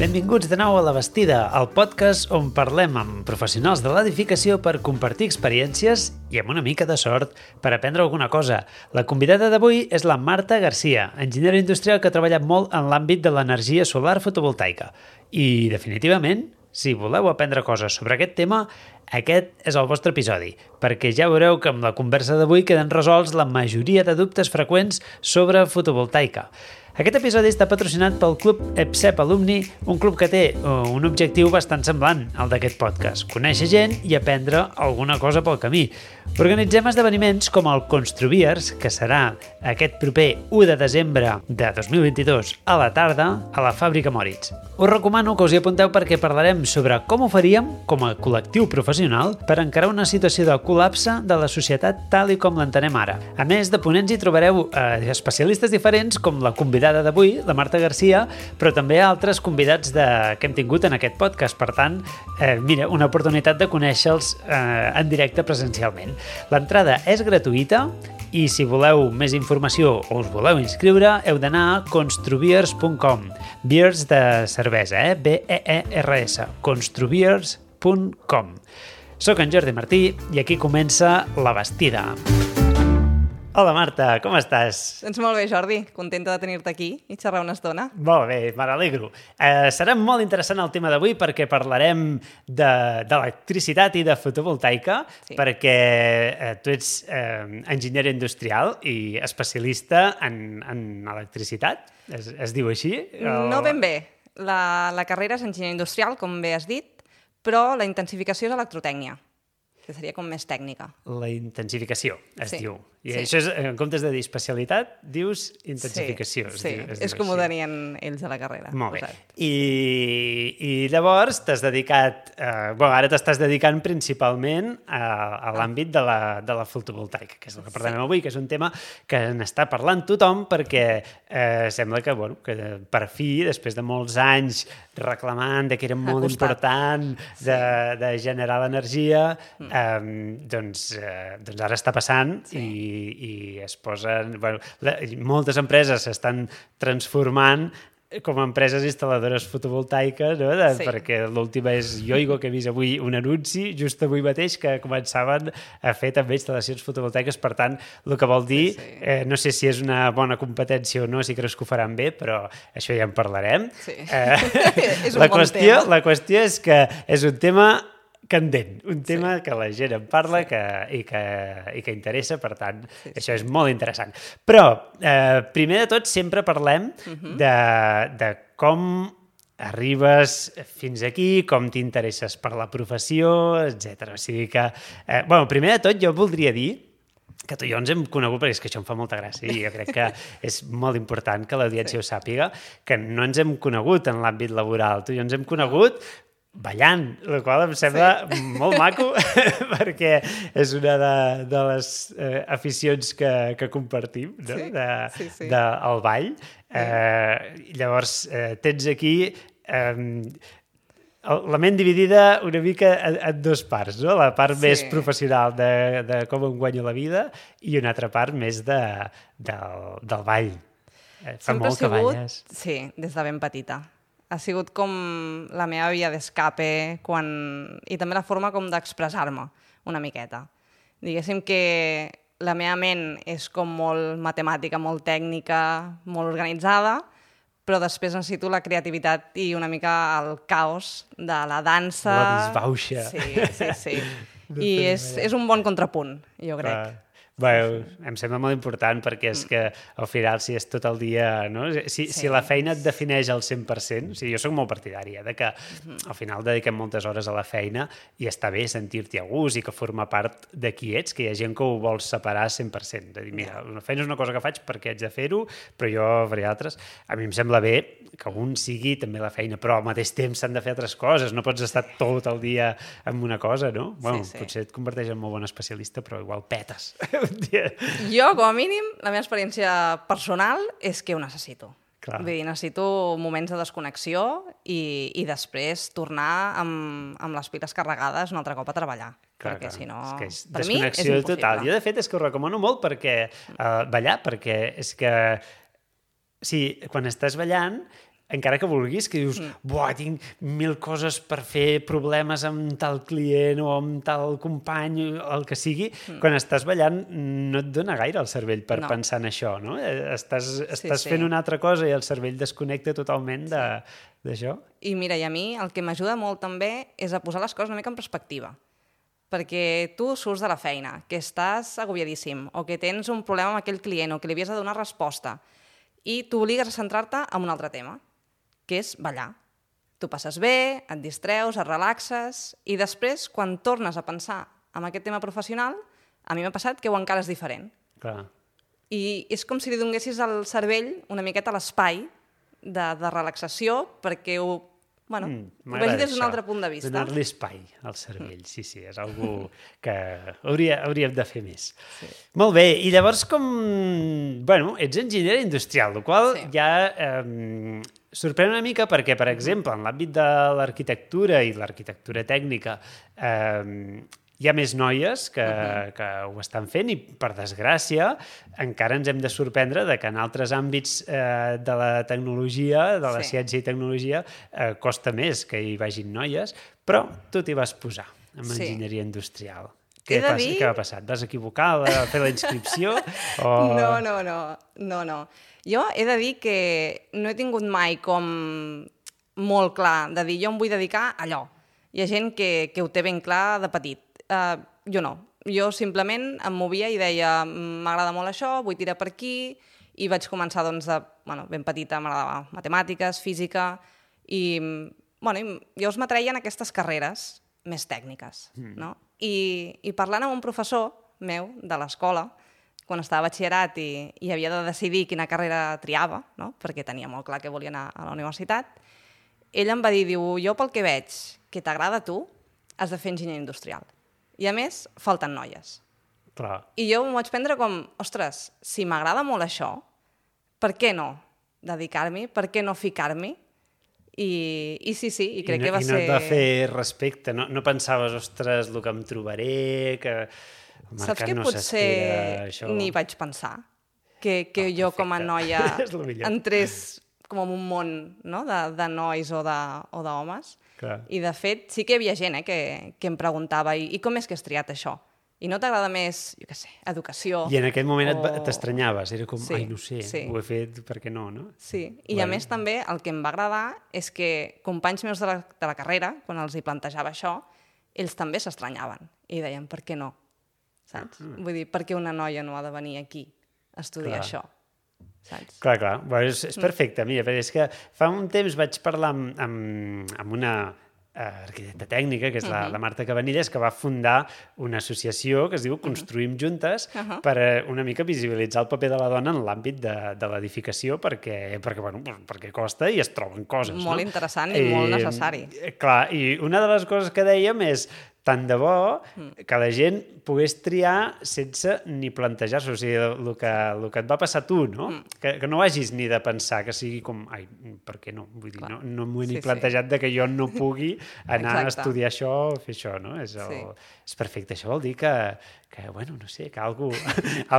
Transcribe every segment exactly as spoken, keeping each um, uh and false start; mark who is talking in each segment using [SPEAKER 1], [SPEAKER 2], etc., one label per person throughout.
[SPEAKER 1] Benvinguts de nou a La Bastida, el podcast on parlem amb professionals de l'edificació per compartir experiències i amb una mica de sort per aprendre alguna cosa. La convidada d'avui és la Marta Garcia, enginyera industrial que ha treballat molt en l'àmbit de l'energia solar fotovoltaica. I, definitivament, si voleu aprendre coses sobre aquest tema, aquest és el vostre episodi, perquè ja veureu que amb la conversa d'avui queden resolts la majoria de dubtes freqüents sobre fotovoltaica. Aquest episodi està patrocinat pel Club EPSEP Alumni, un club que té un objectiu bastant semblant al d'aquest podcast, conèixer gent i aprendre alguna cosa pel camí. Organitzem esdeveniments com el Construviers, que serà aquest proper u de desembre de dos mil vint-i-dos a la tarda a la Fàbrica Moritz. Us recomano que us hi apunteu perquè parlarem sobre com ho faríem com a col·lectiu professional per encarar una situació de col·lapse de la societat tal i com l'entenem ara. A més de ponents hi trobareu eh, especialistes diferents com la convidada d'avui, la Marta Garcia, però també altres convidats de... que hem tingut en aquest podcast. Per tant, eh, mira, una oportunitat de conèixer-los eh, en directe presencialment. L'entrada és gratuïta i si voleu més informació o us voleu inscriure, heu d'anar a construviers punt com. Beers de cervesa, eh? B E E R S. construviers punt com. Soc en Jordi Martí i aquí comença La Bastida. Hola Marta, com estàs?
[SPEAKER 2] Doncs molt bé, Jordi. Contenta de tenir-te aquí i xerrar una estona.
[SPEAKER 1] Molt bé, me n'alegro. Eh, serà molt interessant el tema d'avui perquè parlarem d'electricitat i de fotovoltaica, sí. perquè eh, tu ets eh, enginyera industrial i especialista en, en electricitat, es, es diu així? O...
[SPEAKER 2] No ben bé. La, la carrera és enginyer industrial, com bé has dit, però la intensificació és electrotècnia, que seria com més tècnica.
[SPEAKER 1] La intensificació, es
[SPEAKER 2] sí.
[SPEAKER 1] diu. I
[SPEAKER 2] sí.
[SPEAKER 1] això és, en comptes de dir especialitat, dius intensificació.
[SPEAKER 2] Sí,
[SPEAKER 1] es
[SPEAKER 2] sí.
[SPEAKER 1] Diu, es
[SPEAKER 2] és
[SPEAKER 1] diu
[SPEAKER 2] com
[SPEAKER 1] així.
[SPEAKER 2] ho tenien ells a la carrera.
[SPEAKER 1] Molt bé.
[SPEAKER 2] Exacte.
[SPEAKER 1] I, I llavors t'has dedicat... Eh, bueno, ara t'estàs dedicant principalment a, a l'àmbit de la, de la fotovoltaica, que és el que parlem sí. avui, que és un tema que n'està parlant tothom perquè eh, sembla que, bueno, que per fi, després de molts anys reclamant de que era molt important de, sí. de generar l'energia, mm. eh, doncs, eh, doncs ara està passant sí. i i es posen... Bueno, la, moltes empreses s'estan transformant com a empreses instal·ladores fotovoltaiques, no? de, sí. perquè l'última és Yoigo, que he vist avui un anunci, just avui mateix, que començaven a fer també instal·lacions fotovoltaiques. Per tant, el que vol dir, sí, sí. Eh, no sé si és una bona competència o no, si creus que ho faran bé, però això ja en parlarem.
[SPEAKER 2] Sí.
[SPEAKER 1] Eh,
[SPEAKER 2] és un
[SPEAKER 1] la
[SPEAKER 2] bon
[SPEAKER 1] qüestió,
[SPEAKER 2] tema.
[SPEAKER 1] La qüestió és que és un tema candent, un tema sí. que la gent en parla sí. que, i, que, i que interessa, per tant, sí, sí. això és molt interessant. Però, eh, primer de tot, sempre parlem uh-huh. de, de com arribes fins aquí, com t'interesses per la professió, etcètera. O sigui que, eh, bueno, primer de tot, jo voldria dir que tu i jo ens hem conegut, perquè és que això em fa molta gràcia i jo crec que és molt important que l'audiència sí. ho sàpiga, que no ens hem conegut en l'àmbit laboral. Tu i jo ens hem conegut ballant, el qual em sembla sí. molt maco perquè és una de, de les eh, aficions que, que compartim, no?
[SPEAKER 2] Sí.
[SPEAKER 1] de,
[SPEAKER 2] sí, sí.
[SPEAKER 1] de, el ball. Eh, llavors, eh, tens aquí eh, la ment dividida una mica en, en dues parts, no? La part sí. més professional de, de com em guanyo la vida i una altra part més de, del, del ball. Eh, fa
[SPEAKER 2] Sempre
[SPEAKER 1] molt que
[SPEAKER 2] sigut,
[SPEAKER 1] balles.
[SPEAKER 2] Sí, des de ben petita. Ha sigut com la meva via d'escape quan... i també la forma com d'expressar-me una miqueta. Diguéssim que la meva ment és com molt matemàtica, molt tècnica, molt organitzada, però després necessito la creativitat i una mica el caos de la dansa.
[SPEAKER 1] La disbauxa.
[SPEAKER 2] Sí, sí, sí. I és, és un bon contrapunt, jo crec.
[SPEAKER 1] Clar. Bueno, em sembla molt important perquè és que al final si és tot el dia... No? Si, sí. si la feina et defineix al cent per cent, o sigui, jo soc molt partidària de que al final dediquem moltes hores a la feina i està bé sentir-t'hi a gust i que forma part de qui ets, que hi ha gent que ho vol separar cent per cent. De dir, mira, la feina és una cosa que faig perquè haig de fer-ho, però jo faré altres. A mi em sembla bé que un sigui també la feina, però al mateix temps s'han de fer altres coses. No pots estar tot el dia en una cosa, no? Bueno,
[SPEAKER 2] sí, sí.
[SPEAKER 1] Potser et converteix en molt bon especialista, però igual petes.
[SPEAKER 2] Jo, com a mínim, la meva experiència personal és que ho necessito.
[SPEAKER 1] Clar.
[SPEAKER 2] Vull dir, necessito moments de desconnexió i, i després tornar amb, amb les piles carregades un altre cop a treballar.
[SPEAKER 1] Clar,
[SPEAKER 2] perquè
[SPEAKER 1] clar.
[SPEAKER 2] si no,
[SPEAKER 1] és que és
[SPEAKER 2] per mi és
[SPEAKER 1] desconnexió
[SPEAKER 2] impossible.
[SPEAKER 1] total. Jo, de fet, és que ho recomano molt perquè uh, ballar, perquè és que sí, quan estàs ballant encara que vulguis, que dius, mm. buah, tinc mil coses per fer, problemes amb tal client o amb tal company, el que sigui, mm. quan estàs ballant no et dona gaire el cervell per no. pensar en això, no? Estàs, estàs sí, fent sí. una altra cosa i el cervell desconnecta totalment de, sí. d'això.
[SPEAKER 2] I mira, i a mi el que m'ajuda molt també és a posar les coses una mica en perspectiva. Perquè tu surts de la feina, que estàs agobiadíssim, o que tens un problema amb aquell client, o que li havies de donar resposta, i t'obligues a centrar-te en un altre tema, que és ballar. Tu passes bé, et distreus, et relaxes, i després, quan tornes a pensar en aquest tema professional, a mi m'ha passat que ho encara és diferent.
[SPEAKER 1] Clar.
[SPEAKER 2] I és com si li donessis al cervell una miqueta l'espai de, de relaxació perquè ho Bueno, mm, ho vegi des d'un altre punt de vista.
[SPEAKER 1] Donar-li espai al cervell, mm. sí, sí, és algo que hauria, hauríem de fer més. Sí. Molt bé, i llavors com... Bueno, ets enginyera industrial, el qual sí. ja eh, sorprèn una mica perquè, per exemple, en l'àmbit de l'arquitectura i l'arquitectura tècnica eh, hi ha més noies que, uh-huh. que ho estan fent i, per desgràcia, encara ens hem de sorprendre de que en altres àmbits eh, de la tecnologia, de la sí. ciència i tecnologia, eh, costa més que hi vagin noies, però tu t'hi vas posar amb sí. enginyeria industrial. Què, passa, dir... què va passar? Et vas equivocar a fer la inscripció? O...
[SPEAKER 2] No, no, no, no, no. Jo he de dir que no he tingut mai com molt clar de dir jo em vull dedicar a allò. Hi ha gent que, que ho té ben clar de petit. Uh, jo no. Jo simplement em movia i deia m'agrada molt això, vull tirar per aquí, i vaig començar doncs, de, bueno, ben petita, m'agradava matemàtiques, física, i, bueno, i llavors m'atreien aquestes carreres més tècniques. Mm. No? I, I parlant amb un professor meu de l'escola, quan estava a batxillerat i, i havia de decidir quina carrera triava, no? Perquè tenia molt clar que volia anar a la universitat, ell em va dir, diu, jo pel que veig que t'agrada a tu, has de fer enginyeria industrial. I a més, falten noies.
[SPEAKER 1] Clar.
[SPEAKER 2] I jo m'ho vaig prendre com, ostres, si m'agrada molt això, per què no dedicar-m'hi? Per què no ficar-m'hi? I, I sí, sí, i crec
[SPEAKER 1] I no,
[SPEAKER 2] que va
[SPEAKER 1] i no
[SPEAKER 2] ser...
[SPEAKER 1] I no et va fer respecte? No, no pensaves, ostres, el que em trobaré, que el mercat
[SPEAKER 2] Saps que
[SPEAKER 1] no
[SPEAKER 2] potser
[SPEAKER 1] s'espera, això...
[SPEAKER 2] ni vaig pensar que, que oh, jo com a noia entrés com en un món, no? de, de nois o d'homes. I, de fet, sí que hi havia gent eh, que, que em preguntava i, i com és que has triat això? I no t'agrada més, jo què sé, educació?
[SPEAKER 1] I en aquell moment o... t'estranyaves, era com,
[SPEAKER 2] sí,
[SPEAKER 1] ai, no sé, sí. ho he fet, per què no, no?
[SPEAKER 2] Sí, i bueno. A més també el que em va agradar és que companys meus de la, de la carrera, quan els hi plantejava això, ells també s'estranyaven i deien, per què no? Saps? Ah. Vull dir, per què una noia no ha de venir aquí a estudiar Clar. Això? Saps?
[SPEAKER 1] Clar, clar, bueno, és, és perfecte. Mira, perquè és que fa un temps vaig parlar amb, amb, amb una uh, arquitecta tècnica, que és la, uh-huh. la Marta Cabanilles, que va fundar una associació que es diu Construïm Juntes, uh-huh. per uh, una mica visibilitzar el paper de la dona en l'àmbit de, de l'edificació, perquè, perquè, bueno, perquè costa i es troben coses.
[SPEAKER 2] Molt
[SPEAKER 1] no?
[SPEAKER 2] interessant i, i molt necessari.
[SPEAKER 1] Clar, i una de les coses que dèiem és tant de bo que la gent pogués triar sense ni plantejar-se. O sigui, el que, el que et va passar a tu, no? Mm. Que, que no hagis ni de pensar que sigui com, ai, per què no? Vull dir, Clar. no, no m'ho he sí, ni plantejat sí. de que jo no pugui anar Exacte. a estudiar això o fer això, no? És, el, sí. és perfecte. Això vol dir que, que bueno, no sé, que algú,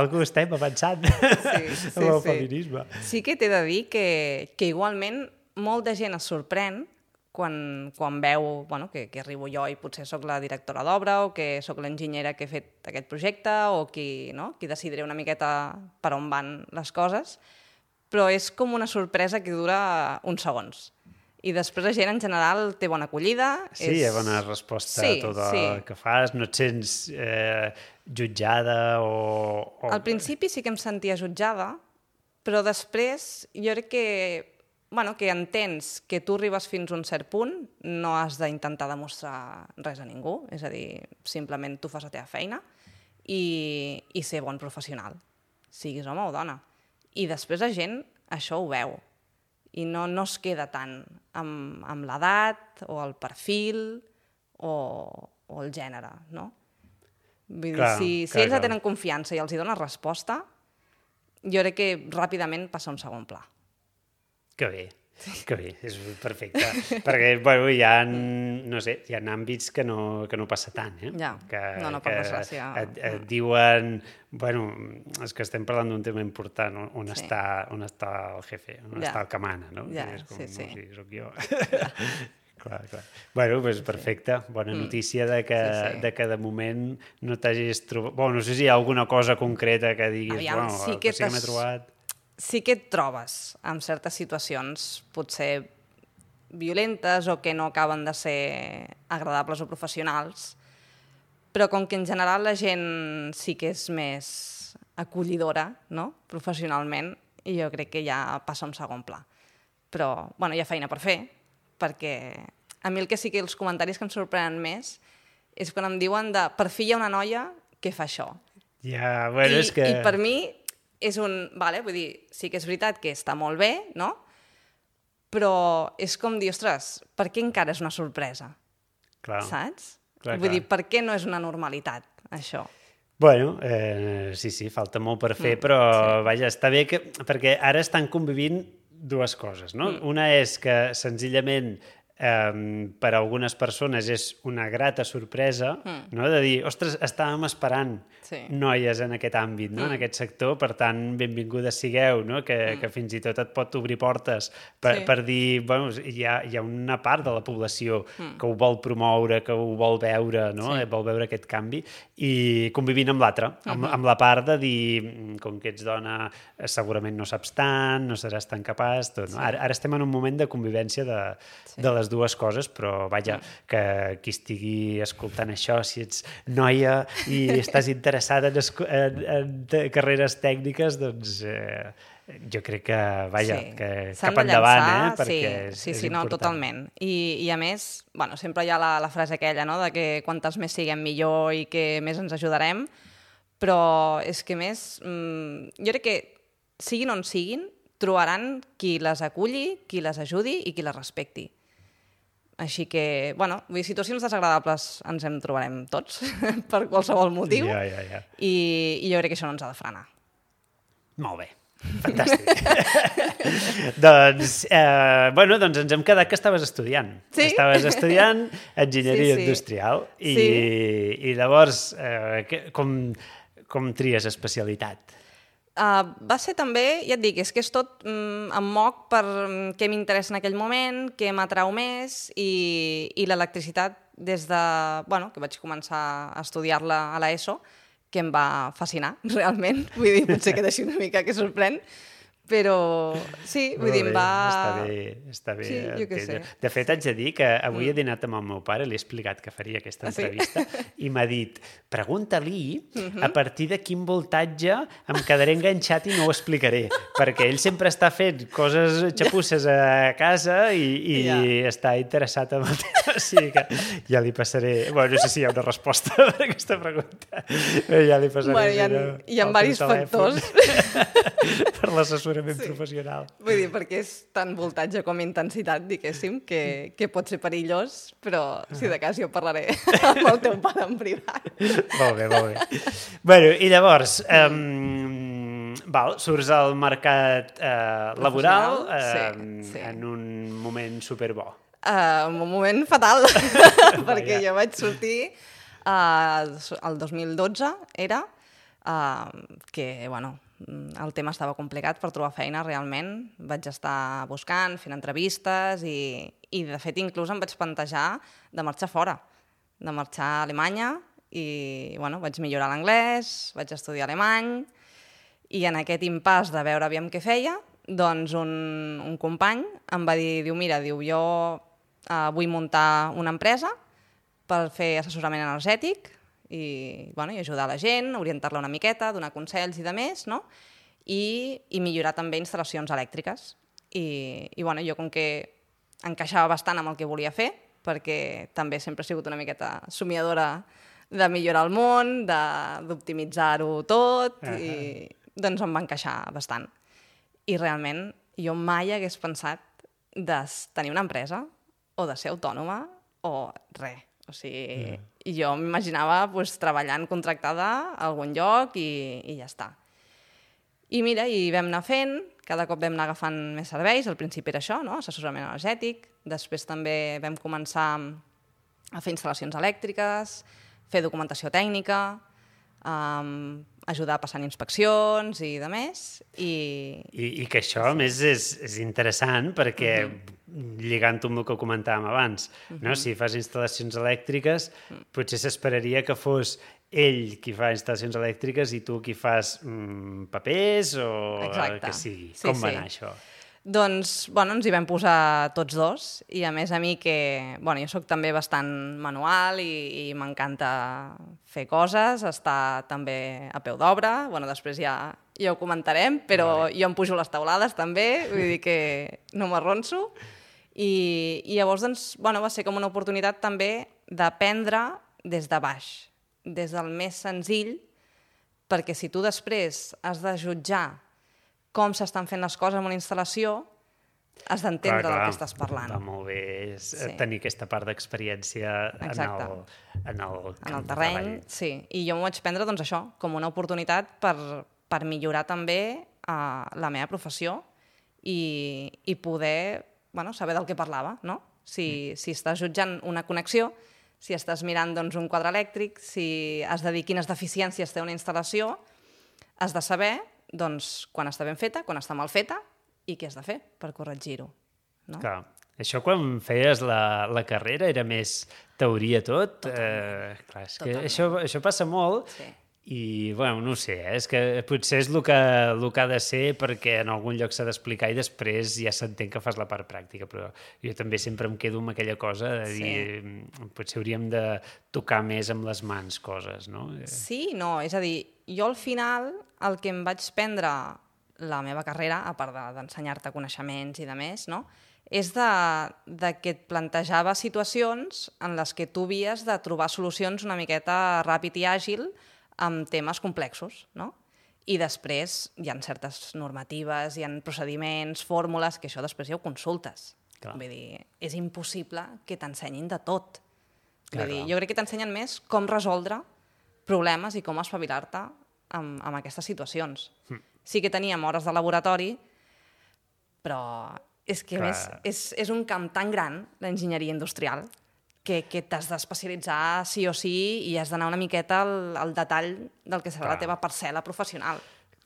[SPEAKER 1] algú estem avançant sí, sí, amb el
[SPEAKER 2] sí.
[SPEAKER 1] feminisme.
[SPEAKER 2] Sí que t'he de dir que, que igualment molta gent es sorprèn quan, quan veu bueno, que, que arribo jo i potser sóc la directora d'obra o que sóc l'enginyera que he fet aquest projecte o qui, no? qui decidiré una miqueta per on van les coses, però és com una sorpresa que dura uns segons. I després la gent en general té bona acollida.
[SPEAKER 1] Sí, és... hi ha bona resposta sí, a tot el sí. que fas, no et sents eh, jutjada o, o...
[SPEAKER 2] Al principi sí que em sentia jutjada, però després jo crec que Bueno, que entens que tu arribes fins a un cert punt, no has d'intentar demostrar res a ningú, és a dir, simplement tu fas la teva feina i, i ser bon professional, siguis home o dona. I després la gent això ho veu i no, no es queda tant amb, amb l'edat o el perfil o, o el gènere, no? Vull dir, clar, si, si clar, ells clar. tenen confiança i els hi dones resposta, jo crec que ràpidament passa a un segon pla.
[SPEAKER 1] Que bé. Que bé, és perfecte. Perquè, bueno, hi ha, no sé, hi ha àmbits que no, que no passa tant, eh?
[SPEAKER 2] Ja,
[SPEAKER 1] que,
[SPEAKER 2] no, no, per
[SPEAKER 1] que
[SPEAKER 2] desgràcia.
[SPEAKER 1] Et, et diuen, bueno, és que estem parlant d'un tema important, on, on,
[SPEAKER 2] Sí.
[SPEAKER 1] està, on està el jefe, on
[SPEAKER 2] Ja.
[SPEAKER 1] està el que mana, no?
[SPEAKER 2] Ja,
[SPEAKER 1] I és com,
[SPEAKER 2] sí, sí.
[SPEAKER 1] No, sí, soc jo. Ja. Clar, clar. Bueno, doncs perfecte. Bona notícia de que,
[SPEAKER 2] Sí, sí.
[SPEAKER 1] de que de moment no t'hagis trobat... Bueno, no sé si hi ha alguna cosa concreta que diguis,
[SPEAKER 2] Aviam,
[SPEAKER 1] bueno,
[SPEAKER 2] sí
[SPEAKER 1] el
[SPEAKER 2] que
[SPEAKER 1] que sí que m'he
[SPEAKER 2] t'has-
[SPEAKER 1] trobat...
[SPEAKER 2] Sí que et trobes en certes situacions, potser violentes o que no acaben de ser agradables o professionals, però com que en general la gent sí que és més acollidora, no?, professionalment, i jo crec que ja passa a un segon pla. Però, bueno, hi ha feina per fer, perquè a mi el que sí que els comentaris que em sorprenen més és quan em diuen de per fi hi ha una noia que fa això.
[SPEAKER 1] Ja, bueno,
[SPEAKER 2] I,
[SPEAKER 1] és que...
[SPEAKER 2] I per mi és un... Vale, vull dir, sí que és veritat que està molt bé, no? Però és com dir, ostres, per què encara és una sorpresa?
[SPEAKER 1] Clar.
[SPEAKER 2] Saps?
[SPEAKER 1] Clar,
[SPEAKER 2] vull
[SPEAKER 1] clar.
[SPEAKER 2] dir, per què no és una normalitat, això?
[SPEAKER 1] Bueno, eh, sí, sí, falta molt per fer, mm, però sí. Vaja, està bé que... Perquè ara estan convivint dues coses, no? Mm. Una és que senzillament eh, per a algunes persones és una grata sorpresa, mm. no? De dir, ostres, estàvem esperant
[SPEAKER 2] Sí.
[SPEAKER 1] noies en aquest àmbit, no? Mm. En aquest sector, per tant, benvingudes sigueu, no? Que, mm. que fins i tot et pot obrir portes per,
[SPEAKER 2] Sí.
[SPEAKER 1] per dir, bueno, hi ha, hi ha una part de la població mm. que ho vol promoure, que ho vol veure, no?
[SPEAKER 2] Sí.
[SPEAKER 1] Eh, vol veure aquest canvi, i convivint amb l'altre, amb,
[SPEAKER 2] Uh-huh.
[SPEAKER 1] amb la part de dir, com que ets dona, segurament no saps tant, no seràs tan capaç, tot, no? Sí. Ara, ara estem en un moment de convivència de, sí. de les dues coses, però vaja, mm. que qui estigui escoltant això, si ets noia i estàs interessada en, en, en carreres tècniques, doncs eh, jo crec que, vaja,
[SPEAKER 2] Sí.
[SPEAKER 1] que
[SPEAKER 2] S'han
[SPEAKER 1] cap
[SPEAKER 2] de
[SPEAKER 1] endavant,
[SPEAKER 2] llançar,
[SPEAKER 1] eh? Perquè
[SPEAKER 2] sí,
[SPEAKER 1] és,
[SPEAKER 2] sí,
[SPEAKER 1] és
[SPEAKER 2] sí, no,
[SPEAKER 1] important.
[SPEAKER 2] totalment. I, I a més, bueno, sempre hi ha la, la frase aquella, no?, de que quantes més siguem millor i que més ens ajudarem, però és que més, mmm, jo crec que siguin on siguin, trobaran qui les aculli, qui les ajudi i qui les respecti. Així que, bueno, vull dir, situacions desagradables ens en trobarem tots, per qualsevol motiu,
[SPEAKER 1] Ja, ja, ja.
[SPEAKER 2] I, i jo crec que això no ens ha de frenar.
[SPEAKER 1] Molt bé. Fantàstic. doncs, eh, bueno, doncs ens hem quedat que estaves estudiant.
[SPEAKER 2] Sí?
[SPEAKER 1] Estaves estudiant enginyeria
[SPEAKER 2] Sí, sí.
[SPEAKER 1] industrial i,
[SPEAKER 2] Sí.
[SPEAKER 1] i llavors eh, que, com, com tries especialitat?
[SPEAKER 2] Uh, va ser també, ja et dic, és que és tot mm, em moc per mm, què m'interessa en aquell moment, què m'atrau més, i, i l'electricitat des de, bueno, que vaig començar a estudiar-la a l'ESO, que em va fascinar, realment. Vull dir, potser queda així una mica que sorprèn, però sí, vull dir, em va...
[SPEAKER 1] Està bé, està bé.
[SPEAKER 2] Sí, jo què
[SPEAKER 1] entendre.
[SPEAKER 2] sé.
[SPEAKER 1] De fet, haig de dir que avui mm. he dinat amb el meu pare, li he explicat que faria aquesta
[SPEAKER 2] Ah, sí?
[SPEAKER 1] entrevista, i m'ha dit, pregunta-li
[SPEAKER 2] Mhm.
[SPEAKER 1] a partir de quin voltatge em quedaré enganxat i no ho explicaré, perquè ell sempre està fent coses xapusses a casa i, i
[SPEAKER 2] Ja.
[SPEAKER 1] està interessat en el tema, o sigui que ja li passaré... Bueno, no sé si hi ha una resposta per aquesta pregunta, però ja li passaré...
[SPEAKER 2] Bueno, hi ha,
[SPEAKER 1] el
[SPEAKER 2] hi ha
[SPEAKER 1] teu
[SPEAKER 2] diversos
[SPEAKER 1] telèfon
[SPEAKER 2] factors.
[SPEAKER 1] per l'assessorament
[SPEAKER 2] Sí.
[SPEAKER 1] professional.
[SPEAKER 2] Vull dir, perquè és tant voltatge com intensitat, diguéssim, que, que pot ser perillós, però si de cas jo parlaré amb el teu pare en privat.
[SPEAKER 1] Molt bé, molt bé. Bueno, i llavors, um, val, surts al mercat uh, laboral uh,
[SPEAKER 2] Sí, sí.
[SPEAKER 1] en un moment superbo.
[SPEAKER 2] Uh, en un moment fatal, perquè jo vaig sortir uh, el dos mil dotze, era, uh, que, bueno, el tema estava complicat per trobar feina, realment. Vaig estar buscant, fent entrevistes i, i de fet, inclús em vaig plantejar de marxar fora, de marxar a Alemanya i, bueno, vaig millorar l'anglès, vaig estudiar alemany i en aquest impàs de veure aviam què feia, doncs un, un company em va dir, diu, mira, diu, jo eh, vull muntar una empresa per fer assessorament energètic i, bueno, i ajudar la gent, orientar-la una miqueta, donar consells i de més, no? I, i millorar també instal·lacions elèctriques. I, i bueno, jo com que encaixava bastant amb el que volia fer, perquè també sempre he sigut una miqueta somiadora de millorar el món, d'optimitzar-ho tot, uh -huh. i doncs em va encaixar bastant. I realment jo mai hagués pensat de tenir una empresa o de ser autònoma o res. O sigui, yeah. jo m'imaginava pues, treballant contractada a algun lloc i, i ja està. I mira, i vam anar fent, cada cop vam anar agafant més serveis, al principi era això, no? Assessorament energètic, després també vam començar a fer instal·lacions elèctriques, fer documentació tècnica, um, ajudar passant inspeccions i de més. I,
[SPEAKER 1] I, i que això, a més, és, és interessant perquè, uh -huh. lligant-ho amb el que comentàvem abans, uh -huh. no? Si fas instal·lacions elèctriques, uh -huh. potser s'esperaria que fos ell qui fa instal·lacions elèctriques i tu qui fas mm, papers o
[SPEAKER 2] Exacte.
[SPEAKER 1] el que sigui.
[SPEAKER 2] Sí,
[SPEAKER 1] Com
[SPEAKER 2] sí.
[SPEAKER 1] va anar això?
[SPEAKER 2] Doncs, bueno, ens hi vam posar tots dos i a més a mi que, bueno, jo sóc també bastant manual i, i m'encanta fer coses, estar també a peu d'obra, bueno, després ja, ja ho comentarem, però vale. Jo em pujo les taulades també, vull dir que no m'arronso i, i llavors, doncs, bueno, va ser com una oportunitat també d'aprendre des de baix, des del més senzill, perquè si tu després has de jutjar com s'estan fent les coses en una instal·lació, has d'entendre del que estàs parlant.
[SPEAKER 1] Va molt bé
[SPEAKER 2] sí.
[SPEAKER 1] tenir aquesta part d'experiència en el, en el,
[SPEAKER 2] en el terreny. Sí. I jo m'ho vaig prendre doncs, això, com una oportunitat per, per millorar també uh, la meva professió i, i poder bueno, saber del que parlava. No? Si, mm. si estàs jutjant una connexió, si estàs mirant doncs, un quadre elèctric, si has de dir quines deficiències té una instal·lació, has de saber doncs, quan està ben feta, quan està mal feta i què has de fer per corregir-ho. No?
[SPEAKER 1] Clar. Això quan feies la, la carrera era més teoria tot? Eh, clar, és que això, això passa molt sí. I, bueno, no ho sé, eh? És que potser és el que, el que ha de ser perquè en algun lloc s'ha d'explicar i després ja s'entén que fas la part pràctica, però jo també sempre em quedo amb aquella cosa de dir sí. potser hauríem de tocar més amb les mans coses, no?
[SPEAKER 2] Sí, no, és a dir, jo al final el que em vaig prendre la meva carrera, a part d'ensenyar-te coneixements i de més, no? És de, de que et plantejava situacions en les que tu havies de trobar solucions una miqueta ràpid i àgil amb temes complexos, no? I després hi ha certes normatives, hi ha procediments, fórmules, que això després ja ho consultes. Clar. Vull dir, és impossible que t'ensenyin de tot. Vull clar, dir, clar. Jo crec que t'ensenyen més com resoldre problemes i com espavilar-te amb, amb aquestes situacions. Hm. Sí que teníem hores de laboratori, però és que clar. Més és, és un camp tan gran, l'enginyeria industrial, que, que t'has d'especialitzar sí o sí i has d'anar una miqueta al, al detall del que serà clar. La teva parcel·la professional.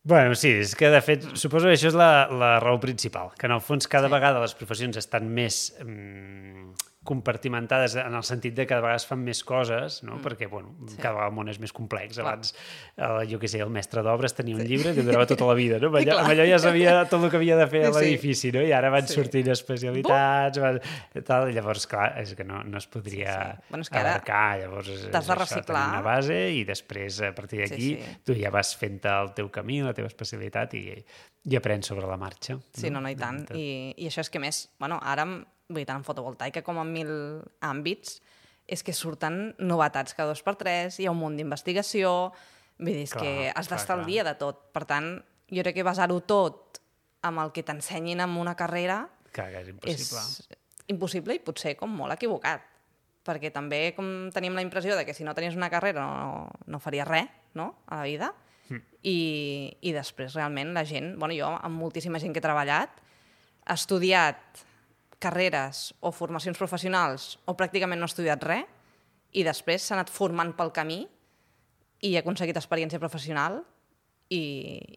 [SPEAKER 1] Bueno, sí, és que de fet suposo que això és la, la raó principal, que en el fons cada sí. vegada les professions estan més mm, compartimentades en el sentit de que cada vegada es fan més coses, no? Mm. Perquè bueno, sí. cada vegada el món és més complex. Clar. Abans, el, jo què sé, el mestre d'obres tenia un sí. llibre que durava tota la vida, no? Amb allò, amb allò ja sabia tot el que havia de fer a l'edifici, no? I ara van sí. sortint especialitats, van, tal, llavors, clar, és que no, no es podria sí, sí. Bueno, és que abarcar, llavors
[SPEAKER 2] t'has de reciclar.
[SPEAKER 1] Això, una base i després, a partir d'aquí, sí, sí. tu ja vas fent el teu camí, la teva especialitat i, i aprens sobre la marxa.
[SPEAKER 2] Sí, no, no, i tant. I, i això és que més, bueno, ara, vull dir, tant en fotovoltaica com en mil àmbits, és que surten novetats cada dos per tres, hi ha un munt d'investigació, vull dir, és clar, que has d'estar al dia de tot. Per tant, jo crec que basar-ho tot amb el que t'ensenyin en una carrera
[SPEAKER 1] clar, és impossible.
[SPEAKER 2] És impossible i potser com molt equivocat, perquè també com tenim la impressió de que si no tenies una carrera no, no faries res, no?, a la vida. Mm. I, i després realment la gent, bueno, jo amb moltíssima gent que he treballat, ha estudiat carreres o formacions professionals o pràcticament no ha estudiat res i després s'ha anat formant pel camí i ha aconseguit experiència professional i,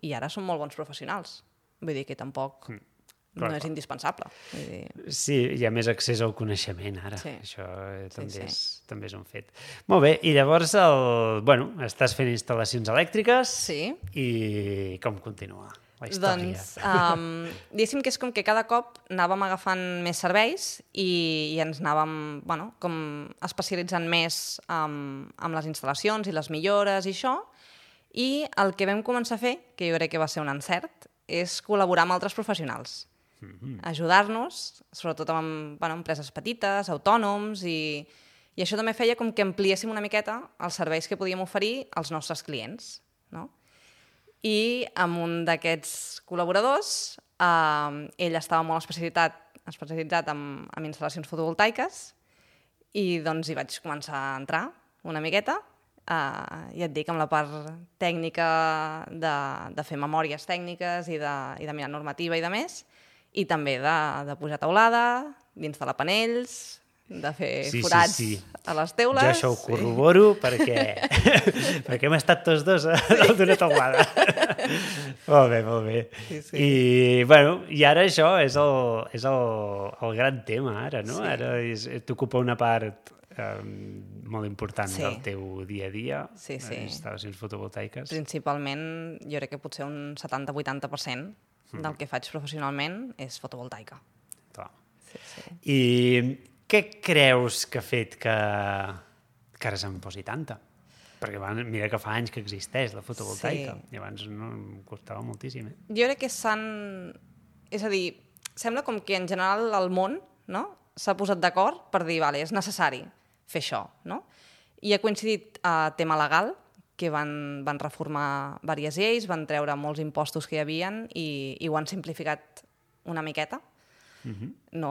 [SPEAKER 2] i ara són molt bons professionals. Vull dir que tampoc mm. Clar, no és indispensable. Vull dir...
[SPEAKER 1] Sí, hi ha més accés al coneixement ara. Sí. Això també, sí, sí. És, també és un fet. Molt bé, i llavors el, bueno, estàs fent instal·lacions elèctriques
[SPEAKER 2] sí.
[SPEAKER 1] i com continua la història?
[SPEAKER 2] Doncs, um, diguéssim que és com que cada cop anàvem agafant més serveis i, i ens anàvem bueno, com especialitzant més um, amb les instal·lacions i les millores i això, i el que vam començar a fer, que jo crec que va ser un encert, és col·laborar amb altres professionals. Ajudar-nos, sobretot amb bueno, empreses petites, autònoms, i, i això també feia com que ampliéssim una miqueta els serveis que podíem oferir als nostres clients. No? I amb un d'aquests col·laboradors, eh, ell estava molt especialitzat, especialitzat en, en instal·lacions fotovoltaiques i doncs hi vaig començar a entrar una miqueta Uh, ja et dic, amb la part tècnica de, de fer memòries tècniques i de, i de mirar normativa i de més, i també de, de pujar teulada, d'instal·lar panells, de fer
[SPEAKER 1] sí,
[SPEAKER 2] forats
[SPEAKER 1] sí, sí.
[SPEAKER 2] a les teules.
[SPEAKER 1] Jo això ho corroboro sí. perquè, perquè hem estat tots dos a dalt d'una teulada. Molt bé, molt bé. Sí, sí. I, bueno, I ara això és el, és el, el gran tema, ara, no? Sí. Ara t'ocupa una part um, molt important sí. del teu dia a dia,
[SPEAKER 2] sí, sí.
[SPEAKER 1] les instal·lacions fotovoltaiques.
[SPEAKER 2] Principalment, jo crec que potser un setanta vuitanta per cent mm. del que faig professionalment és fotovoltaica.
[SPEAKER 1] Clar.
[SPEAKER 2] Sí, sí.
[SPEAKER 1] I què creus que ha fet que, que ara se'n posi tanta? Perquè abans, mira que fa anys que existeix la fotovoltaica, sí. i abans no, em costava moltíssim. Eh?
[SPEAKER 2] Jo crec que s'han... És a dir, sembla com que en general el món, no?, s'ha posat d'acord per dir, vale, és necessari fer això, no? I ha coincidit a uh, tema legal, que van, van reformar diverses lleis, van treure molts impostos que hi havien i, i ho han simplificat una miqueta. Uh-huh. No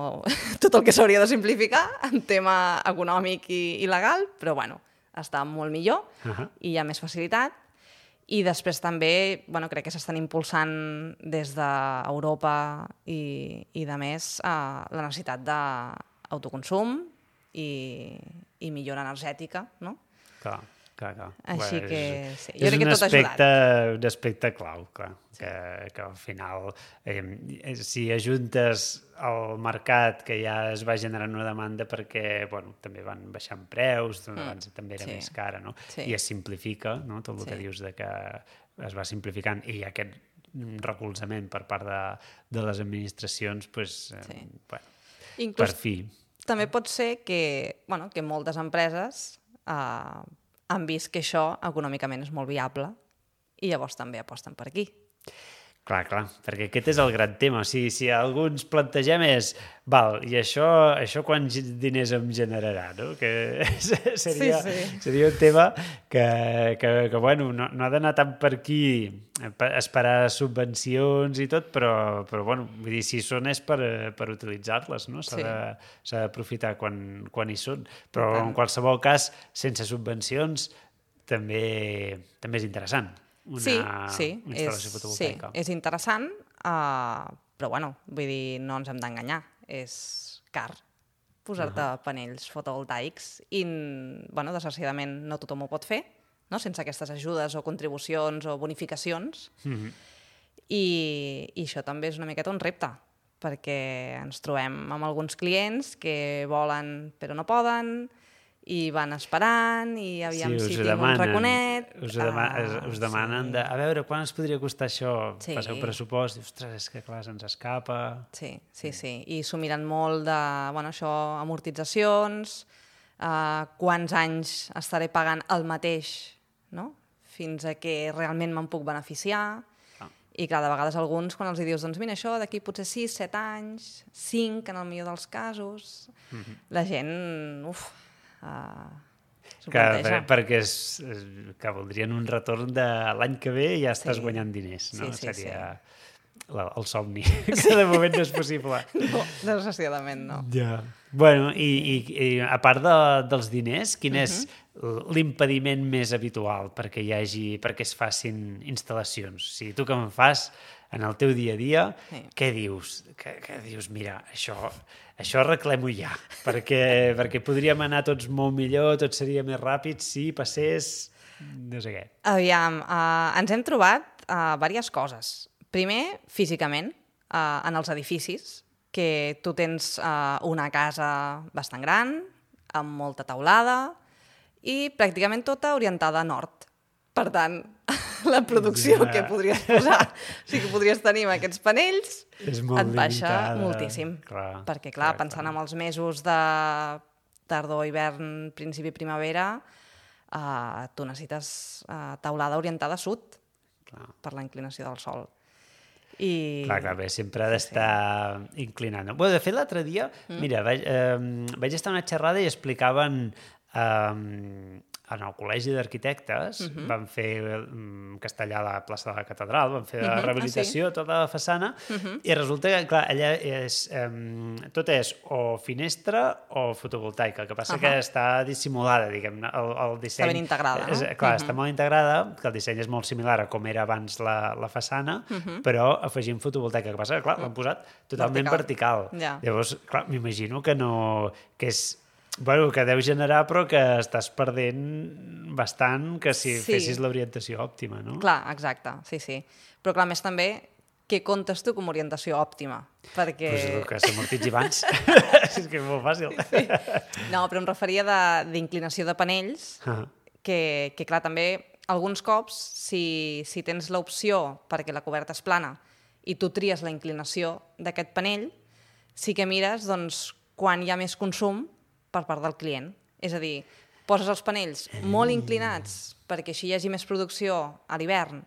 [SPEAKER 2] tot el que s'hauria de simplificar en tema econòmic i, i legal, però bueno, està molt millor uh-huh. i hi ha més facilitat. I després també, bueno, crec que s'estan impulsant des d'Europa i, i de més uh, la necessitat d'autoconsum i, i millora energètica, no?
[SPEAKER 1] Clar. Clar, clar.
[SPEAKER 2] Així
[SPEAKER 1] bueno,
[SPEAKER 2] que
[SPEAKER 1] és,
[SPEAKER 2] sí, jo crec que tot ha ajudat.
[SPEAKER 1] És un aspecte clau, clar, sí. que, que al final, eh, si ajuntes el mercat que ja es va generant una demanda perquè, bueno, també van baixant preus, mm. abans també era sí. més cara, no? Sí. I es simplifica, no? Tot el sí. que dius de que es va simplificant i aquest recolzament per part de, de les administracions, pues, eh, sí. bueno, Inclús, per fi.
[SPEAKER 2] També pot ser que, bueno, que moltes empreses eh, han vist que això econòmicament és molt viable i llavors també aposten per aquí.
[SPEAKER 1] Clar, clar, perquè aquest és el gran tema. O sigui, si alguns plantegem és, val, i això, això quants diners em generarà, no? Que seria, sí, sí. seria un tema que, que, que bueno, no, no ha d'anar tant per aquí, esperar subvencions i tot, però, però bueno, vull dir, si són és per, per utilitzar-les, no? S'ha sí. d'aprofitar quan, quan hi són. Però en qualsevol cas, sense subvencions, també, també és interessant. Una
[SPEAKER 2] sí, sí,
[SPEAKER 1] instal·lació
[SPEAKER 2] és,
[SPEAKER 1] fotovoltaica.
[SPEAKER 2] Sí, és interessant, uh, però bueno, vull dir, no ens hem d'enganyar, és car posar-te uh-huh. panells fotovoltaics i, bueno, desgraciadament no tothom ho pot fer, no? Sense aquestes ajudes o contribucions o bonificacions, uh-huh. I, i això també és una miqueta un repte, perquè ens trobem amb alguns clients que volen però no poden, i van esperant, i aviam sí, si tinc demanen, un raconet...
[SPEAKER 1] Us, dema uh, us demanen sí. de, a veure, quan ens podria costar això? Sí. Passeu pressupost, i, ostres, és que clar, se'ns escapa...
[SPEAKER 2] Sí, sí, sí, i s'ho miren molt de, bueno, això, amortitzacions, uh, quants anys estaré pagant el mateix, no?, fins a que realment me'n puc beneficiar, ah. i clar, de vegades alguns, quan els dius, doncs mira, això d'aquí potser sis, set anys, cinc, en el millor dels casos, mm-hmm. la gent, uf... Uh,
[SPEAKER 1] que, per, perquè és, és, que voldrien un retorn de l'any que ve i ja estàs sí. guanyant diners, no? Sí, sí, Seria sí. la, el somni, sí. que de moment no és possible.
[SPEAKER 2] No, desgraciadament no.
[SPEAKER 1] Ja. Bueno, i, i, i a part de, dels diners, quin uh-huh. és l'impediment més habitual perquè hi hagi, perquè es facin instal·lacions? O sigui, tu que em fas en el teu dia a dia, sí. què dius? Que, que dius, mira, això, això arreglem-ho ja, perquè, perquè podríem anar tots molt millor, tot seria més ràpid si passés no sé què.
[SPEAKER 2] Aviam, uh, ens hem trobat uh, diverses coses. Primer, físicament, uh, en els edificis, que tu tens uh, una casa bastant gran, amb molta teulada, i pràcticament tota orientada a nord. Per tant, la producció ja. que podries posar, o sigui, que podries tenir amb aquests panells, et baixa limitada. moltíssim. Clar, perquè, clar, clar pensant clar. en els mesos de tardor, hivern, principi, primavera, uh, tu necessites uh, teulada orientada a sud, clar. per la inclinació del sol. I...
[SPEAKER 1] Clar, clar, bé, sempre ha d'estar sí. inclinant. Bueno, de fet, l'altre dia, mm. mira, vaig, eh, vaig estar a una xerrada i explicaven... Eh, en el Col·legi d'Arquitectes uh-huh. van fer um, castellar a la plaça de la Catedral, van fer la uh-huh. rehabilitació, ah, sí? tota la façana, uh-huh. i resulta que, clar, allà és, um, tot és o finestra o fotovoltaica, el que passa uh-huh. que està dissimulada, diguem-ne, el, el disseny...
[SPEAKER 2] Està ben integrada, no?
[SPEAKER 1] És, clar, uh-huh. està molt integrada, que el disseny és molt similar a com era abans la, la façana, uh-huh. però afegint fotovoltaica, el que passa que, clar, l'han posat totalment vertical. vertical. Ja. Llavors, clar, m'imagino que no... que és... Bueno, que deu generar, però que estàs perdent bastant que si sí. fessis l'orientació òptima, no?
[SPEAKER 2] Clar, exacte, sí, sí. Però clar, més també, què comptes tu com a orientació òptima? Perquè...
[SPEAKER 1] Pues el que s'amortitzi abans. És que és molt fàcil.
[SPEAKER 2] Sí. No, però em referia d'inclinació de, de panells, uh-huh. que, que clar, també, alguns cops, si, si tens l'opció perquè la coberta és plana i tu tries la inclinació d'aquest panell, sí que mires doncs, quan hi ha més consum per part del client. És a dir, poses els panells molt inclinats perquè així hi hagi més producció a l'hivern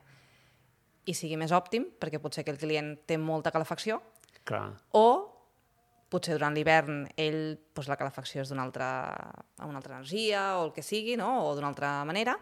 [SPEAKER 2] i sigui més òptim, perquè potser aquell client té molta calefacció,
[SPEAKER 1] Clar.
[SPEAKER 2] o potser durant l'hivern ell, doncs la calefacció és d'una altra, una altra energia o el que sigui, no? O d'una altra manera,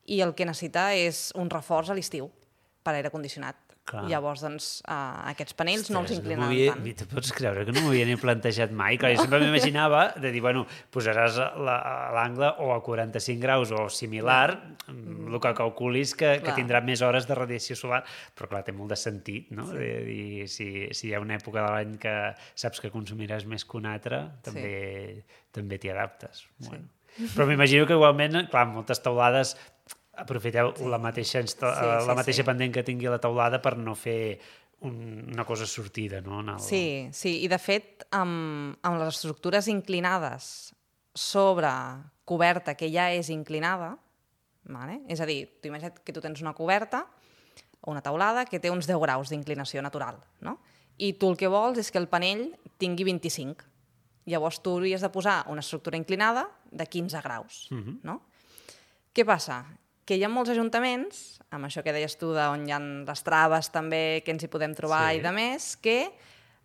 [SPEAKER 2] i el que necessita és un reforç a l'estiu per aire condicionat. Clar. Llavors, doncs, uh, aquests panells Ostres, no els inclinen
[SPEAKER 1] no havia,
[SPEAKER 2] tant.
[SPEAKER 1] Tu pots creure que no m'ho havia ni plantejat mai? Clar, jo sempre m'imaginava de dir, bueno, posaràs l'angle o a quaranta-cinc graus o similar, mm. el que calculis que, que tindrà més hores de radiació solar, però clar, té molt de sentit, no? Sí. De dir, si, si hi ha una època de l'any que saps que consumiràs més que una altra, també sí. també t'hi adaptes. Bueno. Sí. Però m'imagino que igualment, clar, moltes teulades aprofiteu sí. la mateixa, insta... sí, sí, la mateixa sí. pendent que tingui la teulada per no fer un, una cosa sortida, no? En el...
[SPEAKER 2] Sí, sí, i de fet, amb, amb les estructures inclinades sobre coberta que ja és inclinada, vale? És a dir, tu imagina't que tu tens una coberta o una teulada que té uns deu graus d'inclinació natural, no? I tu el que vols és que el panell tingui vint-i-cinc. Llavors tu hauries de posar una estructura inclinada de quinze graus, uh-huh. no? Què passa? Que hi ha molts ajuntaments, amb això que deies tu d'on hi ha les traves també, que ens hi podem trobar sí. i de més, que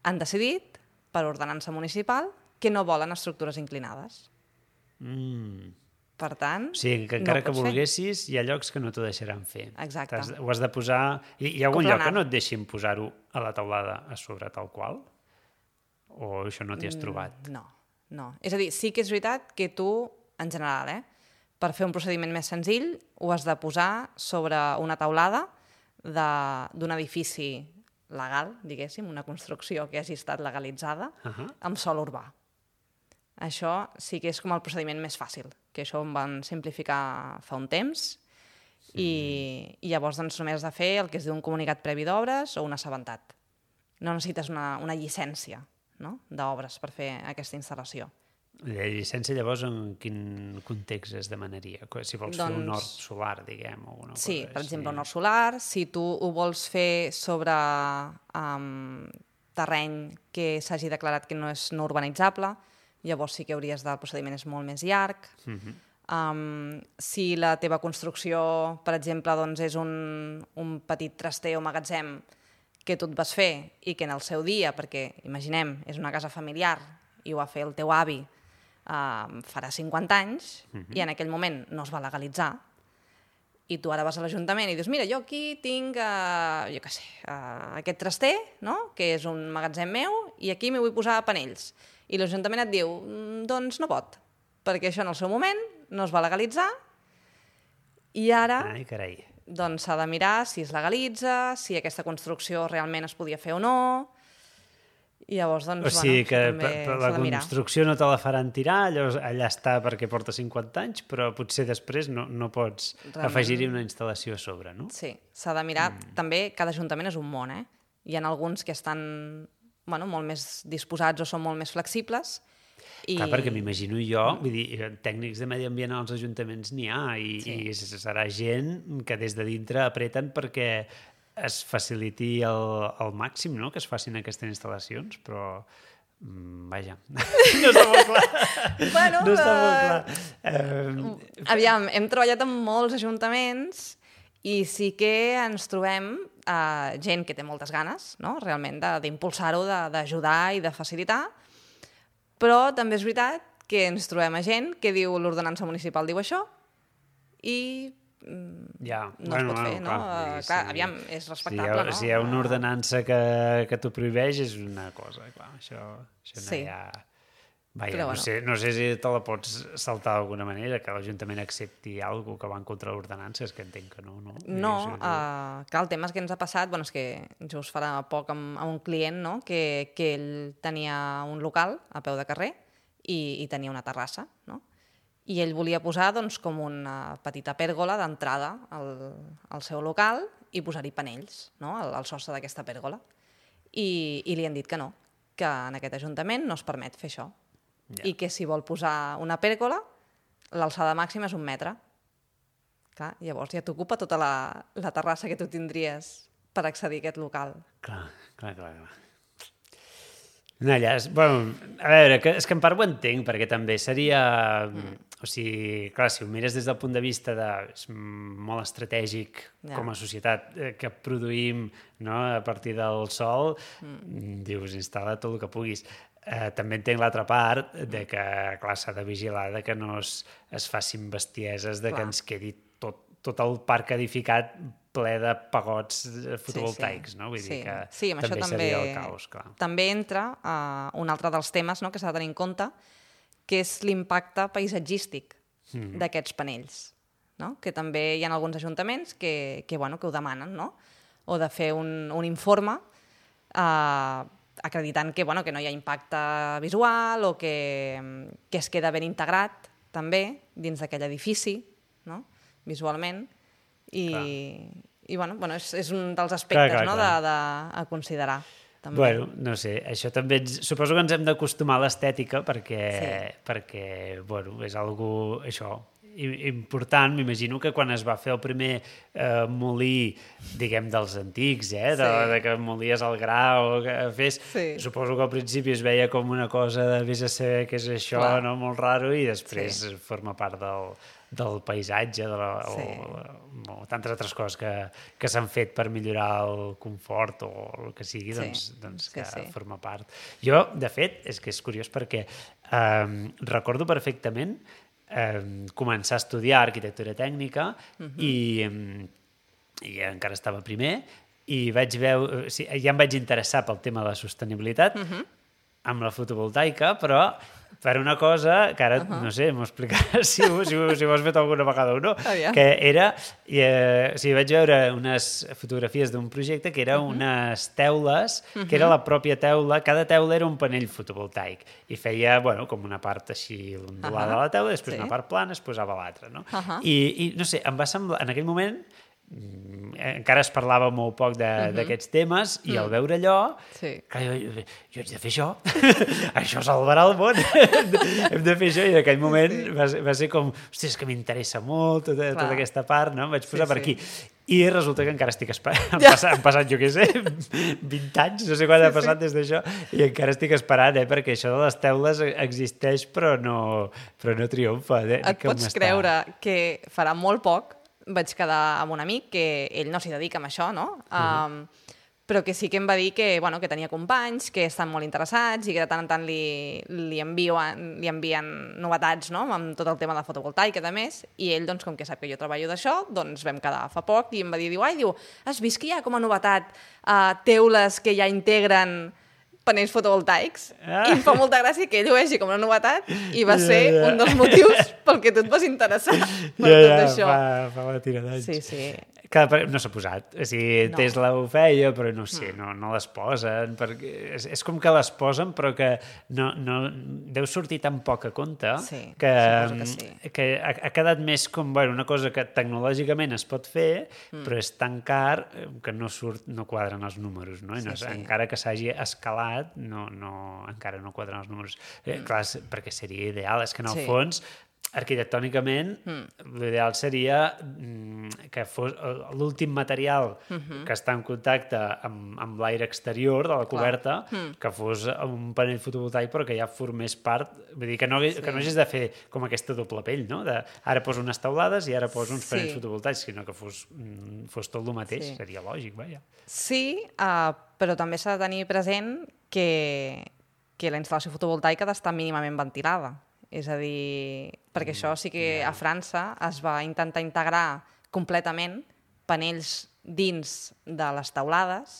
[SPEAKER 2] han decidit, per ordenança municipal, que no volen estructures inclinades.
[SPEAKER 1] Mm.
[SPEAKER 2] Per tant,
[SPEAKER 1] o sigui, que encara
[SPEAKER 2] no
[SPEAKER 1] que volguessis, fer. Hi ha llocs que no t'ho deixaran fer.
[SPEAKER 2] Exacte.
[SPEAKER 1] Has, ho has de posar... Hi, hi ha algun lloc que no et deixin posar-ho a la teulada a sobre tal qual? O això no t'hi has trobat?
[SPEAKER 2] No, no. És a dir, sí que és veritat que tu, en general, eh, per fer un procediment més senzill, ho has de posar sobre una teulada d'un edifici legal, diguéssim, una construcció que hagi estat legalitzada, uh-huh. amb sòl urbà. Això sí que és com el procediment més fàcil, que això em van simplificar fa un temps, sí. i, i llavors doncs, només has de fer el que es diu un comunicat previ d'obres o un assabentat. No necessites una, una llicència, no? d'obres per fer aquesta instal·lació.
[SPEAKER 1] La llicència, llavors, en quin context es demanaria? Si vols doncs, fer un hort solar, diguem, o una
[SPEAKER 2] sí,
[SPEAKER 1] cosa
[SPEAKER 2] per
[SPEAKER 1] així.
[SPEAKER 2] exemple, un hort solar. Si tu ho vols fer sobre um, terreny que s'hagi declarat que no és no urbanitzable, llavors sí que hauries de... El procediment és molt més llarg. Uh-huh. um, si la teva construcció, per exemple, doncs, és un, un petit traster o magatzem que tu et vas fer i que en el seu dia, perquè, imaginem, és una casa familiar i ho va fer el teu avi, Uh, farà cinquanta anys, uh-huh. i en aquell moment no es va legalitzar, i tu ara vas a l'Ajuntament i dius, mira, jo aquí tinc, uh, jo què sé, uh, aquest traster, no? que és un magatzem meu, i aquí m'hi vull posar panells. I l'Ajuntament et diu, doncs no pot, perquè això en el seu moment no es va legalitzar, i ara
[SPEAKER 1] Ai, carai.
[SPEAKER 2] doncs s'ha de mirar si es legalitza, si aquesta construcció realment es podia fer o no. I llavors, doncs,
[SPEAKER 1] o sigui
[SPEAKER 2] bueno,
[SPEAKER 1] que
[SPEAKER 2] també
[SPEAKER 1] per, per la construcció no te la faran tirar, llavors allà està perquè porta cinquanta anys, però potser després no, no pots Realment... afegir-hi una instal·lació a sobre, no?
[SPEAKER 2] Sí, s'ha de mirar. Mm. També cada ajuntament és un món, eh? Hi ha alguns que estan bueno, molt més disposats o són molt més flexibles. I...
[SPEAKER 1] Clar, perquè m'imagino jo, vull dir, tècnics de medi ambient als ajuntaments n'hi ha, i, sí. i serà gent que des de dintre apreten perquè es faciliti el, el màxim, no?, que es facin aquestes instal·lacions, però mm, vaja, no està molt clar.
[SPEAKER 2] Bueno,
[SPEAKER 1] no està molt clar. Uh...
[SPEAKER 2] Aviam, hem treballat amb molts ajuntaments i sí que ens trobem uh, gent que té moltes ganes, no?, realment, d'impulsar-ho, d'ajudar i de facilitar, però també és veritat que ens trobem a gent que diu l'ordenança municipal diu això i
[SPEAKER 1] ja.
[SPEAKER 2] no
[SPEAKER 1] bueno,
[SPEAKER 2] es pot
[SPEAKER 1] bueno,
[SPEAKER 2] fer, no?
[SPEAKER 1] clar,
[SPEAKER 2] Uh,
[SPEAKER 1] sí,
[SPEAKER 2] clar,
[SPEAKER 1] sí.
[SPEAKER 2] aviam, és
[SPEAKER 1] Si hi,
[SPEAKER 2] respectable,
[SPEAKER 1] ha,
[SPEAKER 2] no?
[SPEAKER 1] si hi ha una
[SPEAKER 2] Uh,
[SPEAKER 1] ordenança que, que t'ho prohibeix és una cosa, clar, això, això
[SPEAKER 2] Sí.
[SPEAKER 1] no hi ha... Vaja,
[SPEAKER 2] Però
[SPEAKER 1] no,
[SPEAKER 2] bueno.
[SPEAKER 1] sé, no sé si te la pots saltar d'alguna manera, que l'Ajuntament accepti alguna que va en contra de l'ordenança, és que entenc que no, no?
[SPEAKER 2] No,
[SPEAKER 1] I, sí,
[SPEAKER 2] uh, clar, el tema és que ens ha passat, bueno, és que just farà poc amb, amb un client, no?, que, que ell tenia un local a peu de carrer i, i tenia una terrassa, no?, i ell volia posar, doncs, com una petita pèrgola d'entrada al, al seu local i posar-hi panells, no?, al, al sostre d'aquesta pèrgola. I, I li han dit que no, que en aquest ajuntament no es permet fer això.
[SPEAKER 1] Ja.
[SPEAKER 2] I que si vol posar una pèrgola, l'alçada màxima és un metre. Clar, llavors ja t'ocupa tota la, la terrassa que tu tindries per accedir a aquest local.
[SPEAKER 1] Clar, clar, clar. clar. Una llàstima. Bueno, a veure, que, és que en part ho entenc, perquè també seria... Mm. O sigui, clar, si ho mires des del punt de vista de... És molt estratègic
[SPEAKER 2] Ja.
[SPEAKER 1] com a societat eh, que produïm, no?, a partir del sol, mm. dius, instal·la tot el que puguis. Eh, també entenc l'altra part de que, clar, s'ha de vigilar de que no es, es facin bestieses, de
[SPEAKER 2] Clar.
[SPEAKER 1] que ens quedi tot, tot el parc edificat ple de pagots fotovoltaics,
[SPEAKER 2] sí, sí.
[SPEAKER 1] no? Vull
[SPEAKER 2] sí.
[SPEAKER 1] dir que
[SPEAKER 2] sí, amb
[SPEAKER 1] també,
[SPEAKER 2] això també
[SPEAKER 1] seria el caos, clar.
[SPEAKER 2] També entra uh, un altre dels temes, no?, que s'ha de tenir en compte, que és l'impacte paisatgístic mm. d'aquests panells, no?, que també hi ha alguns ajuntaments que, que, bueno, que ho demanen, no?, o de fer un, un informe uh, acreditant que, bueno, que no hi ha impacte visual o que, que es queda ben integrat també dins d'aquell edifici, no?, visualment, i, i bueno, bueno, és, és un dels aspectes, clar, clar, no?, clar. De, de, a considerar. També.
[SPEAKER 1] Bueno, no sé, això també ens, suposo que ens hem d'acostumar a l'estètica perquè, sí. perquè bueno, és algo, això, important. M'imagino que quan es va fer el primer eh, molí, diguem, dels antics, eh, de, sí. de que molies el gra o que fes, sí. suposo que al principi es veia com una cosa de vés a saber què és això, clar. No?, molt raro, i després sí. forma part del, del paisatge, de la, sí. o, o tantes altres coses que, que s'han fet per millorar el confort o el que sigui, sí. doncs, doncs que sí, sí. forma part. Jo, de fet, és que és curiós perquè eh, recordo perfectament eh, començar a estudiar arquitectura tècnica uh-huh. i, i encara estava primer i vaig veure, o sigui, ja em vaig interessar pel tema de la sostenibilitat uh-huh. amb la fotovoltaica, però per una cosa que ara, uh-huh. no sé, m'ho explicaràs si, si, si ho has fet alguna vegada o no, oh, yeah. que era, eh, o sigui, vaig veure unes fotografies d'un projecte que era uh-huh. unes teules, uh-huh. que era la pròpia teula, cada teula era un panell fotovoltaic, i feia, bueno, com una part així ondulada uh-huh. de la teula, després sí. una part plana, es posava l'altra, no? Uh-huh. I, I, no sé, em va semblar, en aquell moment, encara es parlava molt poc d'aquests uh-huh. temes i mm. al veure allò sí. clar, jo, jo, jo haig de fer això això salvarà el món hem de fer això, i en aquell moment sí. va, ser, va ser com, hòstia, és que m'interessa molt tota, tota aquesta part, no? Em vaig posar sí, per aquí sí. i resulta que encara estic esperant han, ja. passat, han passat, jo què sé, vint anys, no sé quan sí, ha passat sí. des d'això, i encara estic esperant, eh, perquè això de les teules existeix però no, però no triomfa. Eh?
[SPEAKER 2] Et com pots està... creure que farà molt poc vaig quedar amb un amic que ell no s'hi dedica amb això, no? Uh-huh. Um, però que sí que em va dir que, bueno, que tenia companys que estan molt interessats i que de tant en tant li, li, envien, li envien novetats, no?, amb tot el tema de fotovoltaica, a més, i ell, doncs, com que sap que jo treballo d'això, doncs vam quedar fa poc i em va dir, diu, ai, diu, has vist que hi ha com a novetat uh, teules que ja integren panells fotovoltaics? Ah. I em fa molta gràcia que ell ho vegi com una novetat i va ser ja, ja. un dels motius pel que tu et vas interessar per ja, tot ja, això.
[SPEAKER 1] Fa, fa la tira d'anys.
[SPEAKER 2] Sí, sí.
[SPEAKER 1] Que no s'ha posat. O sigui, no. Tesla ho feia, però no sé, no, no les posen. Perquè és, és com que les posen, però que no, no, deu sortir tan poc a compte
[SPEAKER 2] sí,
[SPEAKER 1] que,
[SPEAKER 2] que, sí.
[SPEAKER 1] que ha, ha quedat més com, bueno, una cosa que tecnològicament es pot fer, mm. però és tan car que no surt, no quadren els números, no? I no sí, sí. Encara que s'hagi escalat, no, no, encara no quadren els números. Eh, mm. Clar, perquè seria ideal, és que en el sí. fons arquitectònicament, mm. l'ideal seria mm, que fos l'últim material mm-hmm. que està en contacte amb, amb l'aire exterior de la coberta, mm. que fos un panell fotovoltaic però que ja formés part, vull dir, que no, sí. que no hagis de fer com aquesta doble pell, no? De, ara poso unes teulades i ara poso uns panells sí. fotovoltaics, sinó que fos, fos tot el mateix, sí. seria lògic, vaja.
[SPEAKER 2] Sí, uh, però també s'ha de tenir present que, que la instal·lació fotovoltaica ha d'estar mínimament ventilada. És a dir, perquè això sí que a França es va intentar integrar completament panells dins de les teulades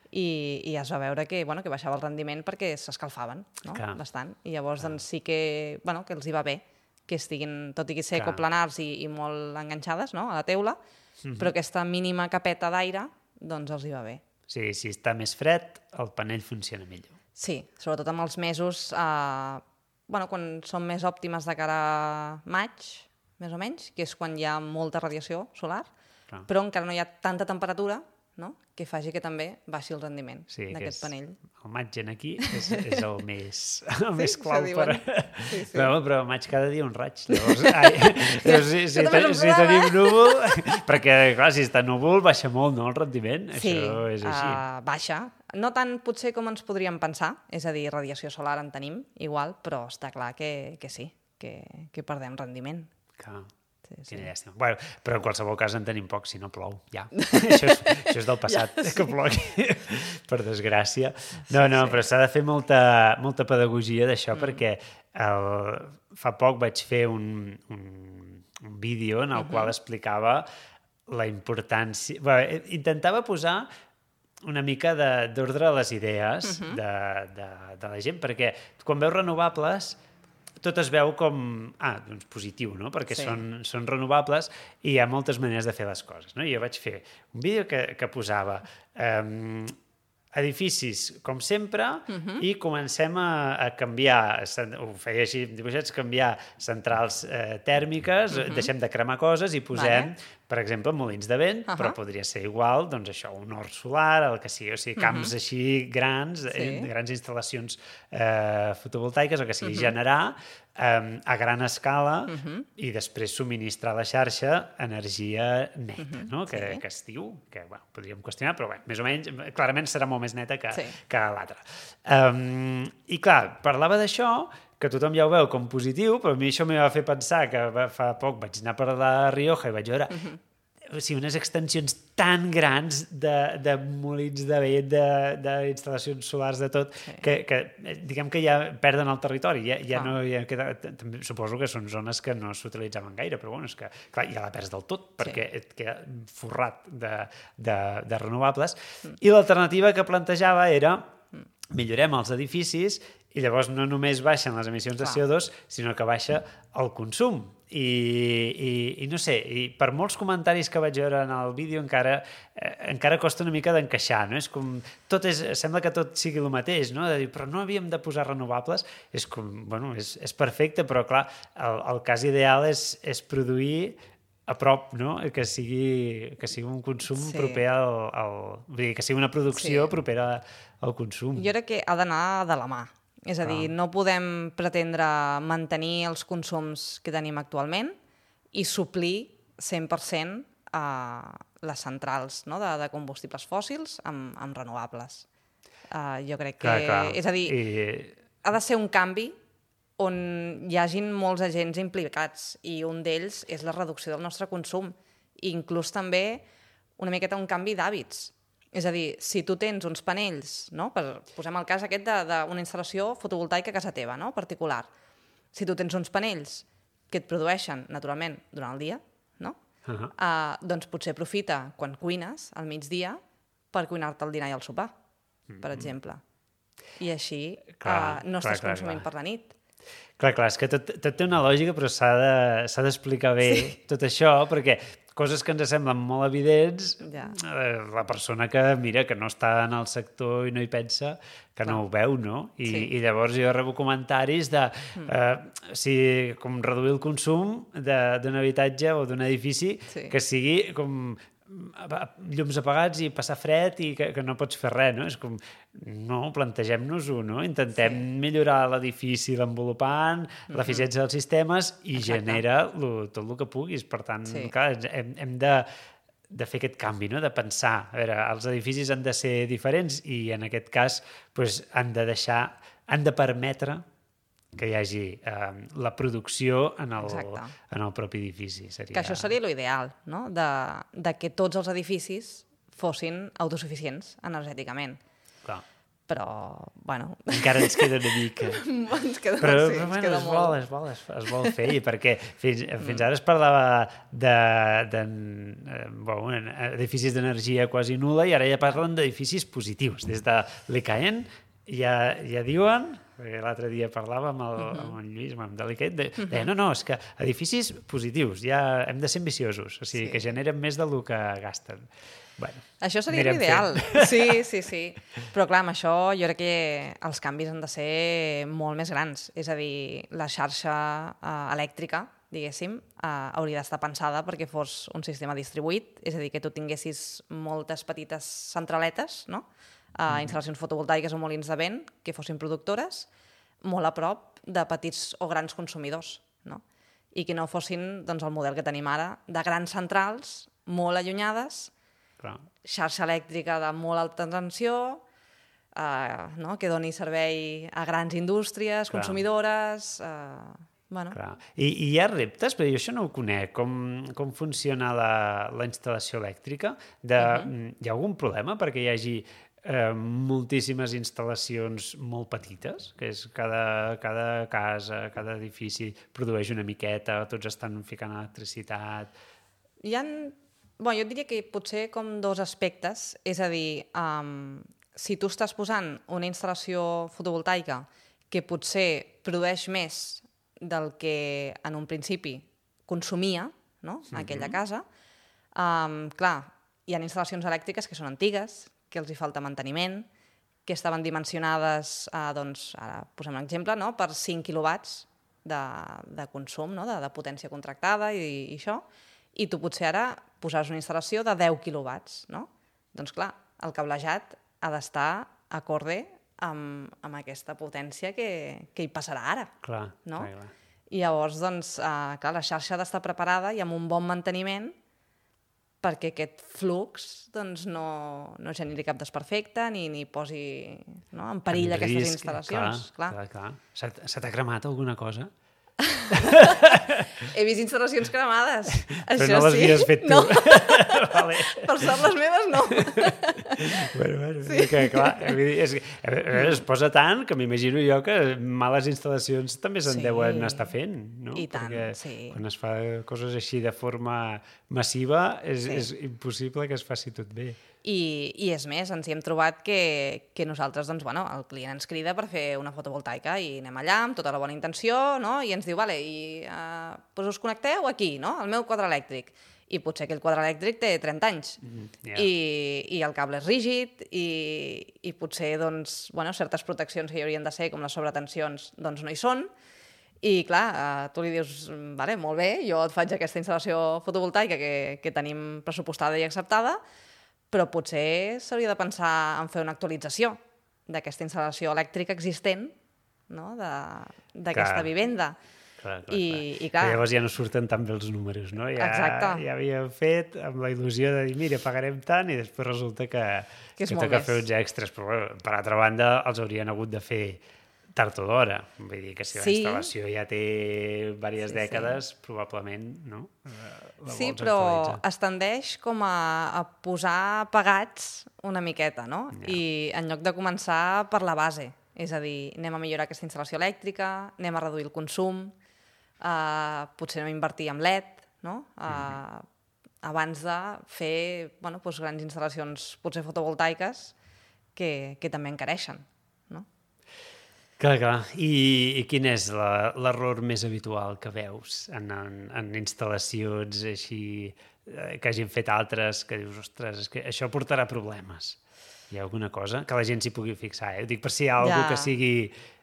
[SPEAKER 2] i, i es va veure que, bueno, que baixava el rendiment perquè s'escalfaven, no? Bastant. I llavors doncs, sí que, bueno, que els hi va bé que estiguin, tot i que ser
[SPEAKER 1] Clar.
[SPEAKER 2] ecoplanars i, i molt enganxades, no?, a la teula, mm-hmm. però aquesta mínima capeta d'aire doncs els hi va bé.
[SPEAKER 1] Sí, si està més fred, el panell funciona millor.
[SPEAKER 2] Sí, sobretot amb els mesos, eh, bueno, quan són més òptimes de cara a maig, més o menys, que és quan hi ha molta radiació solar, Clar. Però encara no hi ha tanta temperatura, no?, que faci que també baixi el rendiment
[SPEAKER 1] sí,
[SPEAKER 2] d'aquest panell.
[SPEAKER 1] El maig en aquí és, és el més, el sí, més clau per...
[SPEAKER 2] Sí, sí.
[SPEAKER 1] Però, però maig cada dia un raig. Llavors, ai, llavors si, si, ten, si tenim núvol... Perquè, clar, si està núvol baixa molt, no?, el rendiment.
[SPEAKER 2] Sí,
[SPEAKER 1] això és així.
[SPEAKER 2] Uh, baixa. No tant potser com ens podríem pensar, és a dir, radiació solar en tenim, igual, però està clar que, que sí, que, que perdem rendiment.
[SPEAKER 1] Clar. Sí,
[SPEAKER 2] sí.
[SPEAKER 1] Llàstima. Bueno, però en qualsevol cas en tenim poc, si no plou, ja. això, és, això és del passat, ja, sí. que plogui, per desgràcia. No, no, sí, però s'ha de fer molta, molta pedagogia d'això, mm. perquè el, fa poc vaig fer un, un, un vídeo en el mm-hmm. qual explicava la importància... Bé, intentava posar una mica d'ordre a les idees mm-hmm. de, de, de la gent, perquè quan veus renovables... tot es veu com, ah, doncs positiu, no? Perquè sí. són, són renovables i hi ha moltes maneres de fer les coses, no? Jo vaig fer un vídeo que, que posava um, edificis, com sempre, uh-huh. i comencem a, a canviar, ho feia així, dibuixats, canviar centrals eh, tèrmiques, uh-huh. deixem de cremar coses i posem, vale. per exemple, molins de vent, uh-huh. però podria ser igual, doncs això, un hort solar, el que sigui, o sigui, camps uh-huh. així grans, sí. eh, grans instal·lacions eh, fotovoltaiques, o que sigui, uh-huh. generar eh, a gran escala uh-huh. i després subministrar a la xarxa energia neta, uh-huh. no? que, sí. que es diu, que bueno, podríem qüestionar, però bé, més o menys, clarament serà molt més neta que, sí. que l'altra. Um, I clar, parlava d'això, que tothom ja ho veu com positiu, però a mi això m'hi va fer pensar que fa poc vaig anar per la Rioja i vaig veure uh-huh. o sigui, unes extensions tan grans de, de molins de vent, d'instal·lacions solars, de tot, sí. que, que diguem que ja perden el territori. Ja, ja ah. no, ja queda, també suposo que són zones que no s'utilitzaven gaire, però bueno, és que clar, ja la perds del tot, perquè sí. et queda forrat de, de, de renovables. Mm. I l'alternativa que plantejava era millorem els edificis i llavors no només baixen les emissions de C O dos, sinó que baixa el consum. I, i, i no sé, i per molts comentaris que vaig veure en el vídeo encara, eh, encara costa una mica d'encaixar, no? És com, tot és, sembla que tot sigui el mateix, no? De dir, però no havíem de posar renovables, és com, bueno, és, és perfecte, però clar, el, el cas ideal és, és produir a prop, no? Que sigui, que sigui un consum sí. proper al, al... Vull dir, que sigui una producció sí. propera al consum.
[SPEAKER 2] Jo crec que ha d'anar de la mà. És a dir, no podem pretendre mantenir els consums que tenim actualment i suplir cent per cent a les centrals, no? de, de combustibles fòssils amb, amb renovables. Uh, jo crec que...
[SPEAKER 1] Clar, clar.
[SPEAKER 2] És a dir, I... ha de ser un canvi on hi hagin molts agents implicats i un d'ells és la reducció del nostre consum. I inclús també una miqueta un canvi d'hàbits. És a dir, si tu tens uns panells, no? Per, posem el cas aquest d'una instal·lació fotovoltaica a casa teva, no? Particular. Si tu tens uns panells que et produeixen, naturalment, durant el dia, no? Uh-huh. Uh, doncs potser aprofita quan cuines al migdia per cuinar-te el dinar i el sopar, mm-hmm. per exemple. I així clar, uh, no estàs clar, consumint clar. per la nit.
[SPEAKER 1] Clar, clar, és que tot, tot té una lògica, però s'ha de, s'ha d'explicar bé sí. tot això, perquè coses que ens semblen molt evidents, ja. eh, la persona que mira, que no està en el sector i no hi pensa, que no, no ho veu, no? I, sí. I llavors jo rebo comentaris de mm. eh, si, com reduir el consum d'un habitatge o d'un edifici sí. que sigui com llums apagats i passar fred i que, que no pots fer res, no? És com, no, plantegem-nos-ho, no? Intentem sí. millorar l'edifici l'envolupant, mm-hmm. l'eficiència dels sistemes i Exacte. genera lo, tot el que puguis. Per tant, sí. clar, hem, hem de, de fer aquest canvi, no? De pensar, a veure, els edificis han de ser diferents i en aquest cas pues, han de deixar, han de permetre que hi hagi eh, la producció en el, en el propi edifici. Seria...
[SPEAKER 2] Que això seria l'ideal, no? De, de que tots els edificis fossin autosuficients energèticament.
[SPEAKER 1] Clar.
[SPEAKER 2] però, bueno...
[SPEAKER 1] Encara ens queda una mica.
[SPEAKER 2] ens queda,
[SPEAKER 1] però,
[SPEAKER 2] sí,
[SPEAKER 1] però
[SPEAKER 2] ens
[SPEAKER 1] bueno,
[SPEAKER 2] queda
[SPEAKER 1] es
[SPEAKER 2] molt.
[SPEAKER 1] vol, es vol, es, es vol fer, perquè fins, fins ara es parlava de, de, de bueno, edificis d'energia quasi nul·la i ara ja parlen d'edificis positius. Des de l'I C A E N ja, ja diuen, perquè l'altre dia parlava amb el, uh -huh. amb el Lluís, amb el Delicat, de, uh -huh. de, no, no, és que edificis positius, ja hem de ser ambiciosos, o sigui, sí. que generen més del que gasten. Bueno,
[SPEAKER 2] això seria l'ideal. Sí, sí, sí. Però clar, amb això jo crec que els canvis han de ser molt més grans. És a dir, la xarxa uh, elèctrica, diguéssim, uh, hauria d'estar pensada perquè fos un sistema distribuït, és a dir, que tu tinguessis moltes petites centraletes, no?, uh, mm. instal·lacions fotovoltaiques o molins de vent que fossin productores, molt a prop de petits o grans consumidors, no?, i que no fossin doncs, el model que tenim ara, de grans centrals, molt allunyades,
[SPEAKER 1] clar. Xarxa
[SPEAKER 2] elèctrica de molt alta tensió, eh, no? que doni servei a grans indústries, clar. consumidores... Eh, bueno.
[SPEAKER 1] Clar. I, I hi ha reptes? Perquè jo això no ho conec. Com, com funciona la, la instal·lació elèctrica? De, uh -huh. Hi ha algun problema perquè hi hagi eh, moltíssimes instal·lacions molt petites? Que és cada, cada casa, cada edifici produeix una miqueta, tots estan ficant electricitat...
[SPEAKER 2] Hi ha... Bueno, jo diria que potser com dos aspectes, és a dir, um, si tu estàs posant una instal·lació fotovoltaica que potser produeix més del que en un principi consumia, no?, mm-hmm. aquella casa, um, clar, hi ha instal·lacions elèctriques que són antigues, que els hi falta manteniment, que estaven dimensionades, uh, doncs, ara posem un exemple, no?, per cinc quilowatts de, de consum, no?, de, de potència contractada i, i això, i tu potser ara posaràs una instal·lació de deu quilowatts, no? Doncs clar, el cablejat ha d'estar acorde amb, amb aquesta potència que, que hi passarà ara.
[SPEAKER 1] Clar,
[SPEAKER 2] no?
[SPEAKER 1] clar, clar.
[SPEAKER 2] I llavors, doncs, eh, clar, la xarxa ha d'estar preparada i amb un bon manteniment perquè aquest flux doncs, no, no generi cap desperfecte ni, ni posi no, en perill en aquestes risc, instal·lacions.
[SPEAKER 1] Clar, clar. clar, clar. Se t'ha cremat alguna cosa?
[SPEAKER 2] He vist instal·lacions cremades.
[SPEAKER 1] Però
[SPEAKER 2] això
[SPEAKER 1] no les
[SPEAKER 2] sí.
[SPEAKER 1] havies fet tu.
[SPEAKER 2] No.
[SPEAKER 1] Vale.
[SPEAKER 2] Per sort les meves no.
[SPEAKER 1] Bueno, bueno, sí. que, clar, és, es posa tant que m'imagino jo que males instal·lacions també se'n sí. deuen estar fent, no?
[SPEAKER 2] I tant,
[SPEAKER 1] perquè
[SPEAKER 2] sí.
[SPEAKER 1] quan es fa coses així de forma massiva és,
[SPEAKER 2] sí.
[SPEAKER 1] és impossible que es faci tot bé.
[SPEAKER 2] I, i és més, ens hi hem trobat que, que nosaltres, doncs, bueno, el client ens crida per fer una fotovoltaica i anem allà amb tota la bona intenció, no? I ens diu, vale, i uh, doncs us connecteu aquí, no?, al meu quadre elèctric. I potser aquell quadre elèctric té trenta anys. Mm, yeah. I, i el cable és rígid i, i potser, doncs, bueno, certes proteccions que hi haurien de ser, com les sobretensions, doncs no hi són. I, clar, uh, tu li dius, vale, molt bé, jo et faig aquesta instal·lació fotovoltaica que, que tenim pressupostada i acceptada, però potser s'hauria de pensar en fer una actualització d'aquesta instal·lació elèctrica existent, no?, d'aquesta vivenda.
[SPEAKER 1] Clar, clar,
[SPEAKER 2] I,
[SPEAKER 1] clar.
[SPEAKER 2] I, clar...
[SPEAKER 1] I llavors ja no surten tan bé els números, no? Ja,
[SPEAKER 2] Exacte.
[SPEAKER 1] Ja havíem fet amb la il·lusió de dir, mira, pagarem tant, i després resulta que,
[SPEAKER 2] que,
[SPEAKER 1] que toca fer uns extras. Però, bueno, per altra banda, els haurien hagut de fer tard o d'hora. Vull dir que si la
[SPEAKER 2] sí.
[SPEAKER 1] instal·lació ja té diverses sí, dècades, sí. probablement, no? La
[SPEAKER 2] sí, però es tendeix com a, a posar pagats una miqueta, no? Ja. I en lloc de començar per la base, és a dir, anem a millorar aquesta instal·lació elèctrica, anem a reduir el consum, uh, potser anem a invertir en L E D, no? Uh, mm-hmm. abans de fer bueno, doncs grans instal·lacions, potser fotovoltaiques, que, que també encareixen.
[SPEAKER 1] Clar, clar. I, i quin és l'error més habitual que veus en, en, en instal·lacions així eh, que hagin fet altres, que dius, ostres, és que això portarà problemes? Hi ha alguna cosa que la gent s'hi pugui fixar? Eh? Ho dic per si hi ha alguna cosa ja. que, sigui,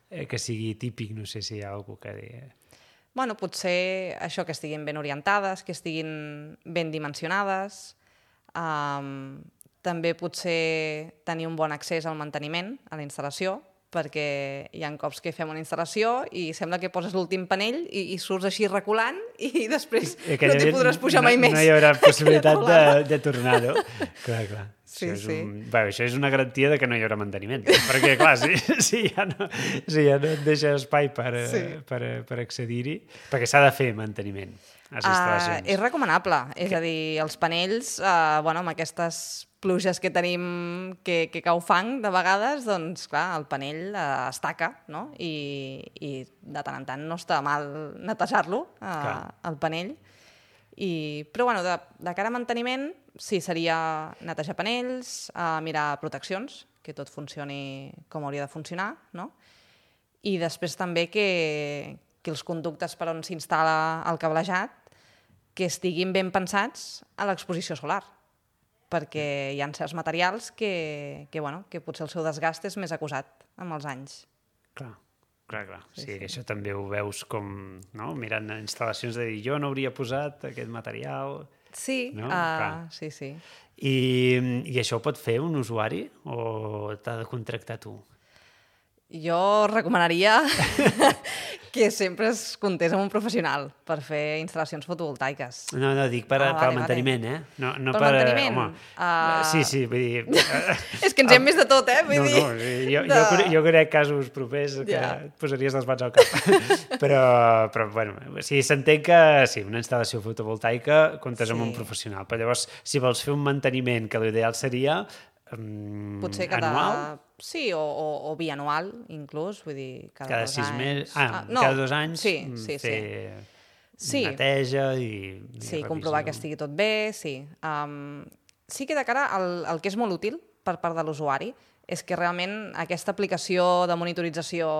[SPEAKER 1] eh, que sigui típic, no sé si hi ha alguna cosa que digui...
[SPEAKER 2] Bueno, potser això, que estiguin ben orientades, que estiguin ben dimensionades, um, també potser tenir un bon accés al manteniment, a la instal·lació, perquè hi ha cops que fem una instal·lació i sembla que poses l'últim panell i, i surts així reculant i després I, no t'hi podràs pujar mai
[SPEAKER 1] no,
[SPEAKER 2] més.
[SPEAKER 1] No hi haurà possibilitat de, de tornar-ho. Clar, clar.
[SPEAKER 2] Sí,
[SPEAKER 1] això, és
[SPEAKER 2] sí.
[SPEAKER 1] un, bé, això és una garantia de que no hi haurà manteniment. Perquè, clar, si, si, ja, no, si ja no et deixa espai per, sí. per, per accedir-hi, perquè s'ha de fer manteniment a les instal·lacions.
[SPEAKER 2] Uh, és recomanable. És a dir, els panells, uh, bueno, amb aquestes pluges que tenim que, que cau fang de vegades, doncs clar, el panell eh, es taca, no? I, i de tant en tant no està mal netejar-lo, eh, el panell. I, però bueno, de, de cara a manteniment, sí, seria netejar panells, eh, mirar proteccions, que tot funcioni com hauria de funcionar, no? I després també que, que els conductes per on s'instal·la el cablejat que estiguin ben pensats a l'exposició solar, perquè hi ha certs materials que, que, bueno, que potser el seu desgast és més acusat amb els anys.
[SPEAKER 1] Clar, clar, clar. Sí, sí,
[SPEAKER 2] sí.
[SPEAKER 1] Això també ho veus com, no? Mirant instal·lacions de dir, jo no hauria posat aquest material...
[SPEAKER 2] Sí,
[SPEAKER 1] no?
[SPEAKER 2] uh, sí, sí.
[SPEAKER 1] I, I això ho pot fer un usuari o t'ha de contractar tu?
[SPEAKER 2] Jo recomanaria que sempre es comptés amb un professional per fer instal·lacions fotovoltaiques.
[SPEAKER 1] No, no, dic per,
[SPEAKER 2] ah,
[SPEAKER 1] per
[SPEAKER 2] vale,
[SPEAKER 1] al manteniment,
[SPEAKER 2] vale.
[SPEAKER 1] eh? No, no
[SPEAKER 2] per
[SPEAKER 1] per
[SPEAKER 2] manteniment?
[SPEAKER 1] Home,
[SPEAKER 2] uh...
[SPEAKER 1] sí, sí, vull dir...
[SPEAKER 2] És que ens hem vist de tot, eh? Vull
[SPEAKER 1] no,
[SPEAKER 2] dir,
[SPEAKER 1] no, jo,
[SPEAKER 2] de...
[SPEAKER 1] jo, jo conec casos propers que
[SPEAKER 2] ja.
[SPEAKER 1] et posaries les mans al cap. però, però, bueno, o sigui, s'entén que sí, una instal·lació fotovoltaica comptes sí. amb un professional, però llavors, si vols fer un manteniment, que l'ideal seria um,
[SPEAKER 2] potser cada...
[SPEAKER 1] anual...
[SPEAKER 2] Sí, o, o, o bianual, inclús, vull dir, cada,
[SPEAKER 1] cada
[SPEAKER 2] dos
[SPEAKER 1] sis
[SPEAKER 2] anys.
[SPEAKER 1] Mesos, ah, ah, no. cada dos anys
[SPEAKER 2] sí, sí,
[SPEAKER 1] fer
[SPEAKER 2] sí.
[SPEAKER 1] neteja i, i
[SPEAKER 2] sí, comprovar que estigui tot bé, sí. Um, sí que de cara al, al que és molt útil per part de l'usuari és que realment aquesta aplicació de monitorització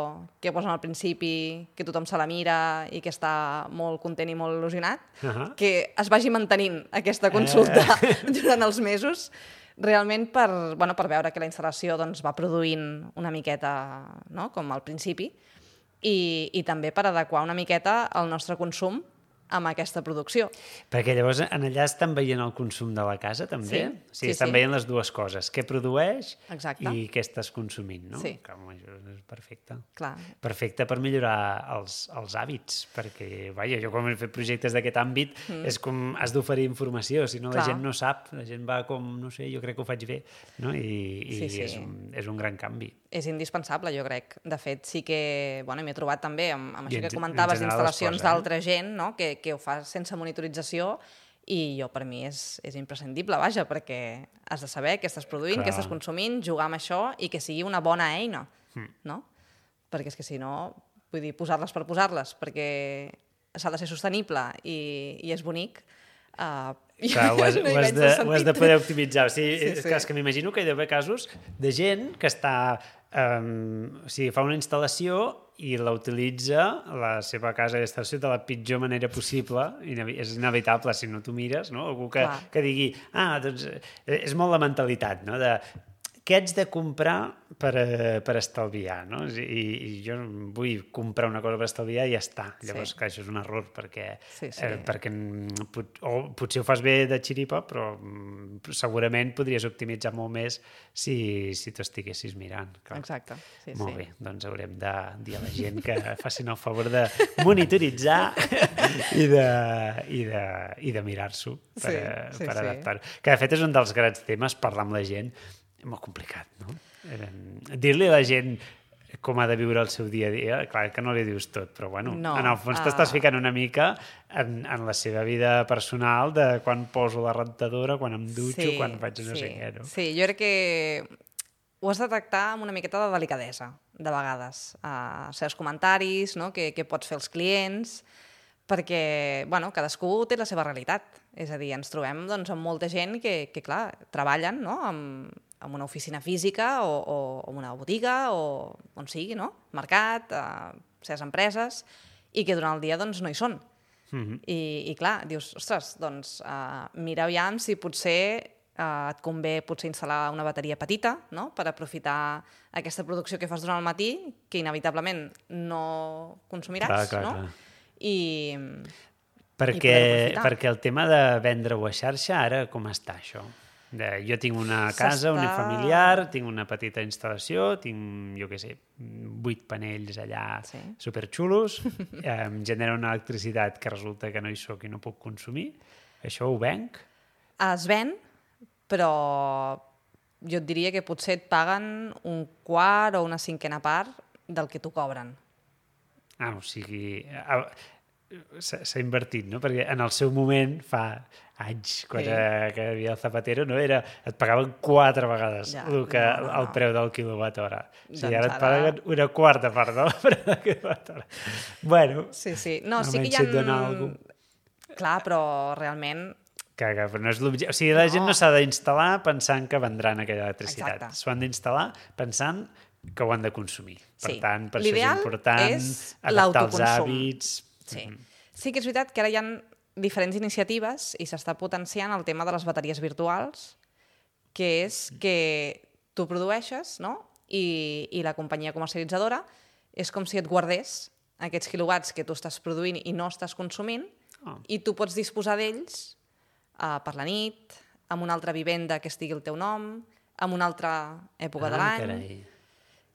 [SPEAKER 2] que posen al principi, que tothom se la mira i que està molt content i molt il·lusionat, uh -huh. que es vagi mantenint aquesta consulta eh. durant els mesos, realment per, bueno, per veure que la instal·lació doncs, va produint una miqueta, no? Com al principi, i, i també per adequar una miqueta el nostre consum amb aquesta producció.
[SPEAKER 1] Perquè llavors en allà estan veient el consum de la casa, també?
[SPEAKER 2] Sí,
[SPEAKER 1] o sigui,
[SPEAKER 2] sí,
[SPEAKER 1] estan
[SPEAKER 2] sí.
[SPEAKER 1] veient les dues coses, què produeix
[SPEAKER 2] Exacte.
[SPEAKER 1] I què estàs consumint, no?
[SPEAKER 2] Sí.
[SPEAKER 1] Clar, això és perfecte.
[SPEAKER 2] Clar.
[SPEAKER 1] Perfecte per millorar els, els hàbits, perquè, vaja, jo quan he fet projectes d'aquest àmbit mm. és com has d'oferir informació, si no la gent no sap, la gent va com, no sé, jo crec que ho faig bé, no? I, i
[SPEAKER 2] sí, sí.
[SPEAKER 1] És, un, és un gran canvi.
[SPEAKER 2] És indispensable, jo crec. De fet, sí que bueno, m'he trobat també amb, amb això
[SPEAKER 1] en,
[SPEAKER 2] que comentaves d'instal·lacions d'altra
[SPEAKER 1] eh?
[SPEAKER 2] gent, no? que, que ho fa sense monitorització, i jo per mi és, és imprescindible, vaja, perquè has de saber què estàs produint, Clar. Què estàs consumint, jugar amb això i que sigui una bona eina, mm. no? Perquè és que si no, vull dir, posar-les per posar-les, perquè s'ha de ser sostenible i, i és bonic, uh,
[SPEAKER 1] Clar, ho, has, no ho, has de, ho has de poder optimitzar. O sigui,
[SPEAKER 2] sí,
[SPEAKER 1] és,
[SPEAKER 2] sí.
[SPEAKER 1] que, és que m'imagino que hi ha d'haver casos de gent que està, um, o sigui, fa una instal·lació i la utilitza la seva casa d'instal·lació de la pitjor manera possible, és inevitable si no t'ho mires, no? Algú que, que digui, ah, doncs és molt la mentalitat, no? De què haig de comprar per, per estalviar, no? I, i jo vull comprar una cosa per estalviar i ja està. Llavors, sí. clar, això és un error, perquè, sí, sí. Eh, perquè pot, o potser ho fas bé de xiripa, però segurament podries optimitzar molt més si, si t'ho estiguessis mirant. Clar.
[SPEAKER 2] Exacte. Sí,
[SPEAKER 1] molt
[SPEAKER 2] sí.
[SPEAKER 1] bé, doncs haurem de dir a la gent que facin el favor de monitoritzar i de, i de, i de mirar-s'ho per, sí, sí, per adaptar-ho. Sí. Que, de fet, és un dels grans temes, parlar amb la gent. És molt complicat, no? Eh, dir-li a la gent com ha de viure el seu dia a dia, clar que no li dius tot, però bueno,
[SPEAKER 2] no,
[SPEAKER 1] en el fons uh... t'estàs ficant una mica en, en la seva vida personal de quan poso la rentadora, quan em dutxo, sí, quan faig no
[SPEAKER 2] sí,
[SPEAKER 1] sé què, no?
[SPEAKER 2] Sí, jo crec que ho has de tractar amb una miqueta de delicadesa, de vegades. Uh, certs comentaris, no?, que, que pots fer als clients, perquè, bueno, cadascú té la seva realitat. És a dir, ens trobem doncs, amb molta gent que, que clar, treballen, no?, amb, amb una oficina física o, o, o una botiga o on sigui, no?, mercat, a certes empreses, i que durant el dia doncs, no hi són. Mm-hmm. I, I clar, dius, ostres, doncs uh, mira aviam si potser uh, et convé potser instal·lar una bateria petita, no?, per aprofitar aquesta producció que fas durant el matí, que inevitablement no consumiràs, clar, clar, no? Clar. I,
[SPEAKER 1] perquè, i perquè el tema de vendre-ho a xarxa, ara com està això? De, jo tinc una casa unifamiliar, tinc una petita instal·lació, tinc, jo què sé, vuit panells allà sí. superxulos, em genera una electricitat que resulta que no hi soc i no puc consumir. Això ho venc?
[SPEAKER 2] Es ven, però jo et diria que potser et paguen un quart o una cinquena part del que t'ho cobren.
[SPEAKER 1] Ah, o sigui... s'ha invertit, no? Perquè en el seu moment, fa anys, quan sí. era, que hi havia el Zapatero, no? Era, et pagaven quatre vegades ja, el, que, no, no, no. el preu del quilowatt hora. O sigui, doncs ara et paguen una quarta part del preu del quilowatt hora. Bueno,
[SPEAKER 2] sí, sí. No, sí que hi ha... Clar, però realment...
[SPEAKER 1] Que, que no és l'objecte. O sigui, la no. gent no s'ha d'instal·lar pensant que vendran aquella electricitat. S'ho han d'instal·lar pensant que ho han de consumir. Per sí. tant, per això és important és adaptar els hàbits.
[SPEAKER 2] Sí. Mm-hmm. Sí que és veritat que ara hi ha diferents iniciatives i s'està potenciant el tema de les bateries virtuals, que és que tu produeixes, no? I, i la companyia comercialitzadora és com si et guardés aquests quilowatts que tu estàs produint i no estàs consumint oh. i tu pots disposar d'ells uh, per la nit, amb una altra vivenda que estigui el teu nom, en una altra època ah, de l'any. Carai.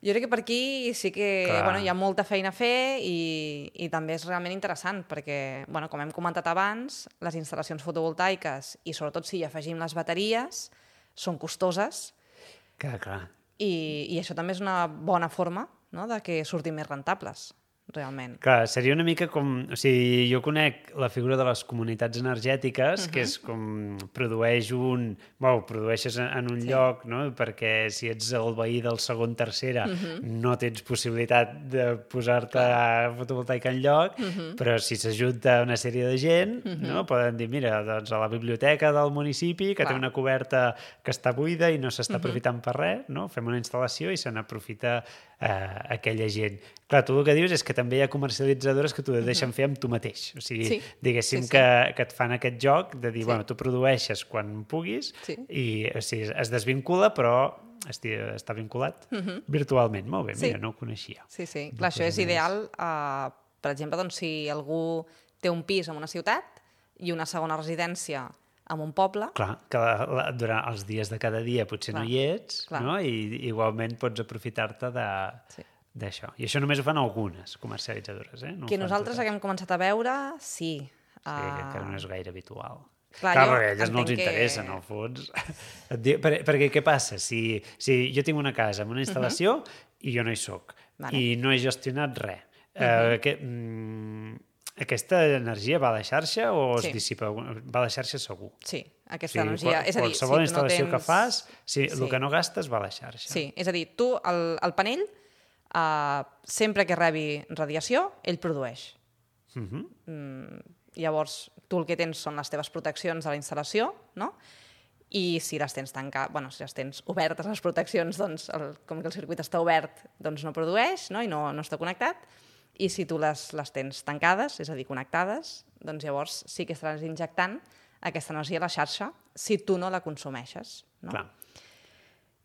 [SPEAKER 2] Jo crec que per aquí sí que bueno, hi ha molta feina a fer i, i també és realment interessant perquè, bueno, com hem comentat abans, les instal·lacions fotovoltaiques i sobretot si hi afegim les bateries són costoses
[SPEAKER 1] clar, clar.
[SPEAKER 2] I, i això també és una bona forma, no?, de que surtin més rentables. Realment.
[SPEAKER 1] Clar, seria una mica com... O sigui, jo conec la figura de les comunitats energètiques, uh-huh. que és com produeix un... Bueno, produeixes en un sí. lloc, no? Perquè si ets el veí del segon, tercera, uh-huh. no tens possibilitat de posar-te a fotovoltaica en lloc, uh-huh. però si s'ajunta una sèrie de gent, uh-huh. no? Poden dir, mira, doncs a la biblioteca del municipi, que Clar. té una coberta que està buida i no s'està uh-huh. aprofitant per res, no? Fem una instal·lació i se n'aprofita eh, aquella gent. Clar, tu el que dius és que també hi ha comercialitzadores que t'ho deixen uh-huh. fer amb tu mateix. O sigui, sí. diguéssim sí, sí. Que, que et fan aquest joc de dir, sí. bueno, tu produeixes quan puguis sí. i o sigui, es desvincula, però esti, està vinculat uh-huh. virtualment. Molt bé, sí. mira, no ho coneixia.
[SPEAKER 2] Sí, sí. Clar, això és ideal, uh, per exemple, doncs, si algú té un pis en una ciutat i una segona residència en un poble...
[SPEAKER 1] Clar, que la, la, durant els dies de cada dia potser clar. no hi ets, clar. no? I igualment pots aprofitar-te de... Sí. d'això. I això només ho fan algunes comercialitzadores, eh? No
[SPEAKER 2] que nosaltres haguem començat a veure, sí.
[SPEAKER 1] Sí, uh... que no és gaire habitual.
[SPEAKER 2] Clar,
[SPEAKER 1] Clar perquè a elles no els interessa, que... en el fons. Per, perquè què passa? Si, si jo tinc una casa amb una instal·lació uh-huh. i jo no hi soc, vale. i no he gestionat res, uh-huh. eh, que, mm, aquesta energia va a la xarxa o es sí. dissipa? Va a la xarxa segur.
[SPEAKER 2] Sí, aquesta sí, energia... Qual, és a dir,
[SPEAKER 1] qualsevol
[SPEAKER 2] si
[SPEAKER 1] instal·lació
[SPEAKER 2] no tens...
[SPEAKER 1] que fas, si,
[SPEAKER 2] sí.
[SPEAKER 1] el que no gastes va a la xarxa.
[SPEAKER 2] Sí, és a dir, tu, el, el panell, Uh, sempre que rebi radiació, ell produeix. Uh-huh. Mm, llavors, tu el que tens són les teves proteccions de la instal·lació, no? I si les tens tanca... bueno, si les tens obertes, les proteccions, doncs, el, com que el circuit està obert, doncs no produeix, no? I no, no està connectat. I si tu les, les tens tancades, és a dir, connectades, doncs llavors sí que estaràs injectant aquesta energia a la xarxa si tu no la consumeixes. No?
[SPEAKER 1] Clar.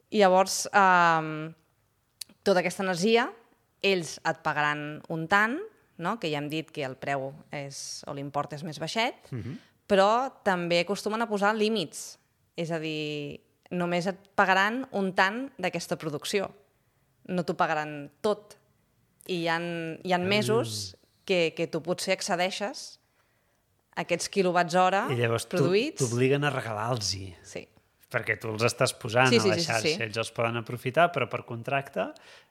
[SPEAKER 2] I llavors... Uh, tota aquesta energia, ells et pagaran un tant, no? Que ja hem dit que el preu és, o l'import és més baixet, uh-huh. però també acostumen a posar límits. És a dir, només et pagaran un tant d'aquesta producció. No t'ho pagaran tot. I hi ha, hi ha mesos que, que tu potser accedeixes a aquests quilowatts hora produïts. I llavors
[SPEAKER 1] t'obliguen a regalar-los-hi.
[SPEAKER 2] Sí.
[SPEAKER 1] Perquè tu els estàs posant
[SPEAKER 2] sí,
[SPEAKER 1] sí, a la
[SPEAKER 2] sí,
[SPEAKER 1] xarxa,
[SPEAKER 2] sí, sí.
[SPEAKER 1] ells els poden aprofitar, però per contracte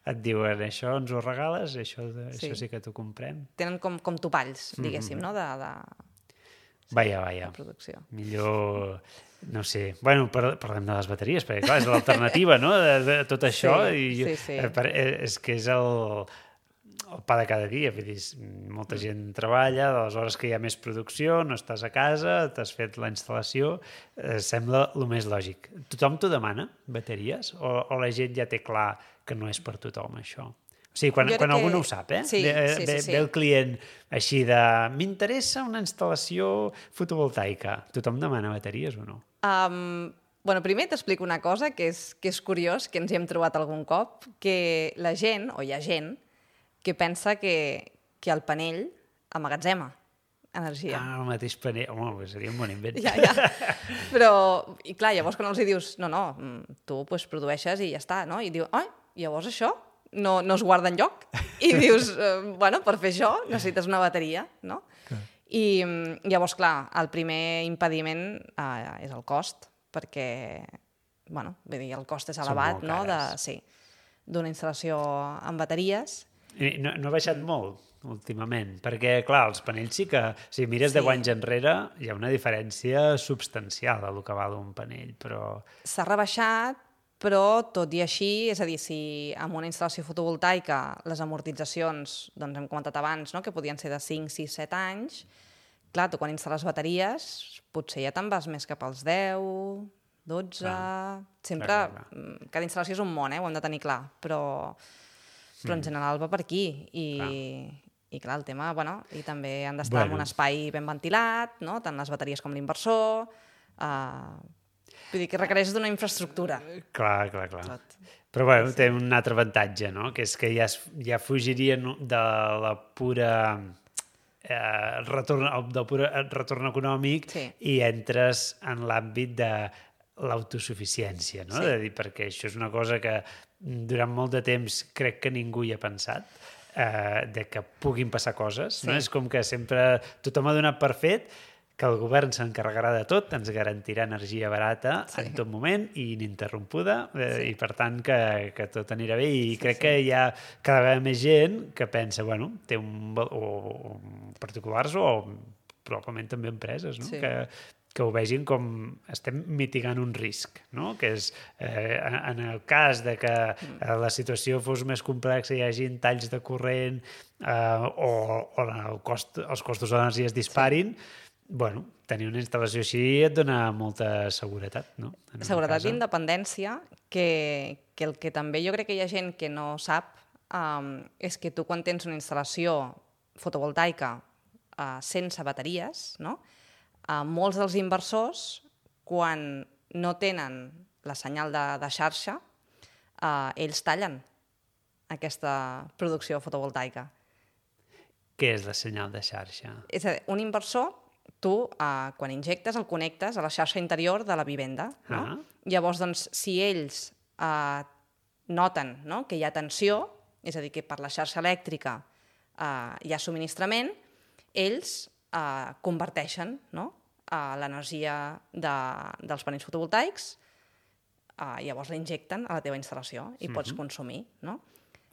[SPEAKER 1] et diuen això ens ho regales, això, sí. això sí que t'ho comprem.
[SPEAKER 2] Tenen com, com topalls, diguéssim, mm-hmm. no? De, de...
[SPEAKER 1] Sí, vaja, vaja.
[SPEAKER 2] Producció.
[SPEAKER 1] Millor, no sé... Bueno, parlem de les bateries, perquè clar, és l'alternativa, no?, de, de tot això.
[SPEAKER 2] Sí,
[SPEAKER 1] i,
[SPEAKER 2] sí, sí.
[SPEAKER 1] És que és el... el pa de cada dia, vull dir, molta gent treballa, de les hores que hi ha més producció, no estàs a casa, t'has fet la instal·lació, eh, sembla el més lògic. Tothom t'ho demana, bateries? O, o la gent ja té clar que no és per tothom, això? O sigui, quan, quan algú que... no ho sap, eh?
[SPEAKER 2] Sí,
[SPEAKER 1] ve,
[SPEAKER 2] sí,
[SPEAKER 1] ve,
[SPEAKER 2] sí, sí.
[SPEAKER 1] ve el client així de... M'interessa una instal·lació fotovoltaica. Tothom demana bateries o no?
[SPEAKER 2] Um, bueno, primer t'explico una cosa que és, que és curiós, que ens hi hem trobat algun cop, que la gent, o hi ha gent, que pensa que, que el panell emmagatzema energia.
[SPEAKER 1] Ah, el mateix panell. Home, seria un bon invent.
[SPEAKER 2] Ja, ja. Però, i clar, llavors quan els dius, no, no, tu pues, produeixes i ja està, no? I diu, ai, llavors això no, no es guarda enlloc. I dius, eh, bueno, per fer això necessites una bateria, no? Okay. I llavors, clar, el primer impediment eh, és el cost, perquè, bueno, vull dir, el cost és elevat, no? De, sí, d'una instal·lació amb bateries.
[SPEAKER 1] I no, no ha baixat molt últimament? Perquè, clar, els panells sí que... Si mires
[SPEAKER 2] Sí.
[SPEAKER 1] deu anys enrere, hi ha una diferència substancial del que val un panell, però...
[SPEAKER 2] S'ha rebaixat, però tot i així, és a dir, si amb una instal·lació fotovoltaica les amortitzacions, doncs hem comentat abans, no?, que podien ser de cinc, sis, set anys, clar, tu quan instal·les bateries potser ja te'n vas més cap als deu, dotze...
[SPEAKER 1] Clar.
[SPEAKER 2] Sempre,
[SPEAKER 1] Clar, clar, clar.
[SPEAKER 2] cada instal·lació és un món, eh? Ho hem de tenir clar, però, però en general va per aquí. I
[SPEAKER 1] Clar.
[SPEAKER 2] i clar, el tema, bueno, i també han d'estar
[SPEAKER 1] Bueno.
[SPEAKER 2] en un espai ben ventilat, no?, tant les bateries com l'inversor... Uh, vull dir que requereix d'una infraestructura.
[SPEAKER 1] Clar, clar, clar.
[SPEAKER 2] Tot.
[SPEAKER 1] Però bueno, té un altre avantatge, no? Que és que ja, es, ja fugirien de la pura... Eh, retorn, del pur retorn econòmic
[SPEAKER 2] Sí.
[SPEAKER 1] i entres en l'àmbit de l'autosuficiència, no?
[SPEAKER 2] Sí.
[SPEAKER 1] De dir, perquè això és una cosa que durant molt de temps crec que ningú hi ha pensat, eh, de que puguin passar coses,
[SPEAKER 2] Sí.
[SPEAKER 1] no? És com que sempre tothom ha donat per fet que el govern s'encarregarà de tot, ens garantirà energia barata
[SPEAKER 2] Sí.
[SPEAKER 1] en tot moment i ininterrompuda, eh,
[SPEAKER 2] Sí.
[SPEAKER 1] i per tant que, que tot anirà bé, i
[SPEAKER 2] Sí,
[SPEAKER 1] crec
[SPEAKER 2] sí.
[SPEAKER 1] que hi ha cada vegada més gent que pensa, bueno, té un... val- o, o particulars o probablement també empreses, no?
[SPEAKER 2] Sí.
[SPEAKER 1] Que, que ho vegin com estem mitigant un risc, no? Que és, eh, en, en el cas de que eh, la situació fos més complexa, hi hagi talls de corrent eh, o, o el cost, els costos de l'energia es disparin, bueno, tenir una instal·lació així et dona molta seguretat, no? En una
[SPEAKER 2] Seguretat
[SPEAKER 1] casa.
[SPEAKER 2] i independència, que, que el que també jo crec que hi ha gent que no sap um, és que tu quan tens una instal·lació fotovoltaica uh, sense bateries, no? Uh, molts dels inversors, quan no tenen la senyal de, de xarxa, uh, ells tallen aquesta producció fotovoltaica.
[SPEAKER 1] Què és la senyal de xarxa?
[SPEAKER 2] És a dir, un inversor, tu, eh, quan injectes, el connectes a la xarxa interior de la vivenda. No?
[SPEAKER 1] Ah.
[SPEAKER 2] Llavors, doncs, si ells eh, noten, no?, que hi ha tensió, és a dir, que per la xarxa elèctrica eh, hi ha subministrament, ells eh, converteixen, no?, eh, l'energia de, dels panells fotovoltaics, eh, llavors la injecten a la teva instal·lació i pots consumir. No?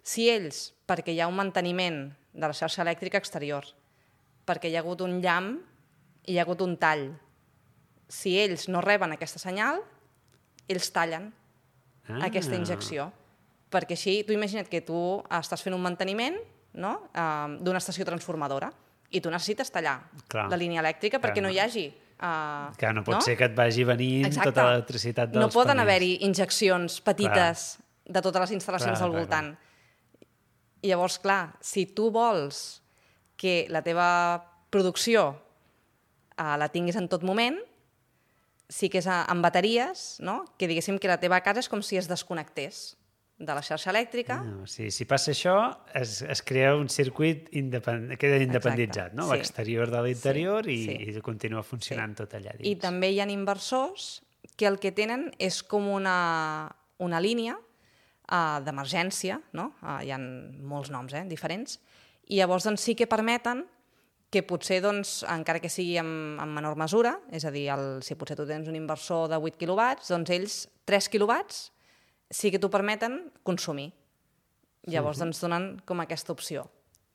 [SPEAKER 2] Si ells, perquè hi ha un manteniment de la xarxa elèctrica exterior, perquè hi ha hagut un llamp i hi ha hagut un tall, si ells no reben aquesta senyal, ells tallen
[SPEAKER 1] Ah.
[SPEAKER 2] aquesta injecció. Perquè així, tu imagina't que tu estàs fent un manteniment, no?, eh, d'una estació transformadora i tu necessites tallar
[SPEAKER 1] Clar.
[SPEAKER 2] la línia elèctrica perquè
[SPEAKER 1] Clar,
[SPEAKER 2] no
[SPEAKER 1] no.
[SPEAKER 2] hi hagi... Uh,
[SPEAKER 1] Que no pot ser que et vagi venint
[SPEAKER 2] Exacte.
[SPEAKER 1] tota l'electricitat dels
[SPEAKER 2] No poden
[SPEAKER 1] panells.
[SPEAKER 2] haver-hi injeccions petites de totes les instal·lacions
[SPEAKER 1] Clar,
[SPEAKER 2] al
[SPEAKER 1] clar,
[SPEAKER 2] voltant. I llavors, clar, si tu vols que la teva producció uh, la tinguis en tot moment, sí que és a, amb bateries, no?, que diguéssim que la teva casa és com si es desconnectés de la xarxa elèctrica.
[SPEAKER 1] No, o sigui, si passa això, es, es crea un circuit independ... queda independitzat,
[SPEAKER 2] Exacte,
[SPEAKER 1] no?
[SPEAKER 2] sí.
[SPEAKER 1] L'exterior de l'interior
[SPEAKER 2] Sí,
[SPEAKER 1] i,
[SPEAKER 2] sí.
[SPEAKER 1] i continua funcionant
[SPEAKER 2] Sí.
[SPEAKER 1] tot allà dins.
[SPEAKER 2] I també hi ha inversors que el que tenen és com una, una línia uh, d'emergència, no? Uh, hi ha molts noms eh, diferents, i llavors doncs, sí que permeten que potser, doncs, encara que sigui en, en menor mesura, és a dir, el, si potser tu tens un inversor de vuit quilowatts, doncs ells tres quilowatts sí que t'ho permeten consumir. Llavors, doncs, donen com aquesta opció,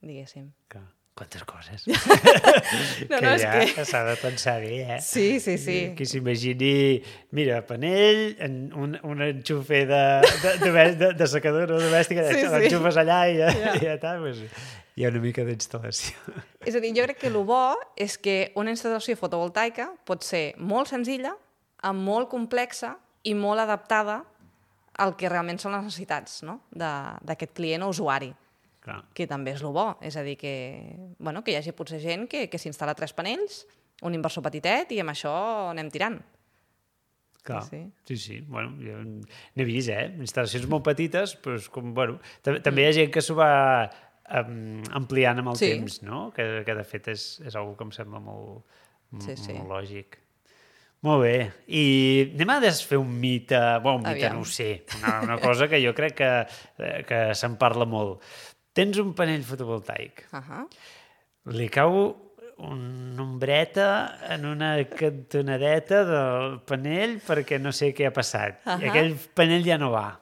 [SPEAKER 2] diguéssim.
[SPEAKER 1] Clar. Quantes coses.
[SPEAKER 2] No,
[SPEAKER 1] que
[SPEAKER 2] no, és
[SPEAKER 1] ja
[SPEAKER 2] que...
[SPEAKER 1] s'ha de pensar bé, eh?
[SPEAKER 2] Sí, sí, sí.
[SPEAKER 1] Qui s'imagini, mira, panell, en un, un enxufe de, de, de, de, de secadora domèstica,
[SPEAKER 2] Sí, sí.
[SPEAKER 1] l'enxufes allà i ja,
[SPEAKER 2] Ja.
[SPEAKER 1] ja està, pues, hi ha una mica d'instal·lació.
[SPEAKER 2] És a dir, jo crec que el bo és que una instal·lació fotovoltaica pot ser molt senzilla, amb molt complexa i molt adaptada al que realment són les necessitats, no?, de- d'aquest client o usuari,
[SPEAKER 1] Clar.
[SPEAKER 2] que també és el bo. És a dir, que, bueno, que hi hagi potser gent que, que s'instal·la tres panells, un inversor petitet, i amb això anem tirant.
[SPEAKER 1] Clar,
[SPEAKER 2] Sí.
[SPEAKER 1] sí, sí. Bueno, jo n'he vist, eh? Instal·lacions molt petites, però és com, bueno... També, també hi ha gent que s'ho va um, ampliant amb el
[SPEAKER 2] Sí.
[SPEAKER 1] temps, no? Que, que de fet és, és una que em sembla molt, m-
[SPEAKER 2] Sí, sí.
[SPEAKER 1] molt lògic. Molt bé. I anem a desfer un mite... Bueno, un mite,
[SPEAKER 2] Aviam.
[SPEAKER 1] no ho sé. Una, una cosa que jo crec que, eh, que se'n parla molt. Tens un panell fotovoltaic.
[SPEAKER 2] Uh -huh.
[SPEAKER 1] Li cau una ombreta en una cantonadeta del panell perquè no sé què ha passat.
[SPEAKER 2] Ahà.
[SPEAKER 1] I aquell panell ja no va.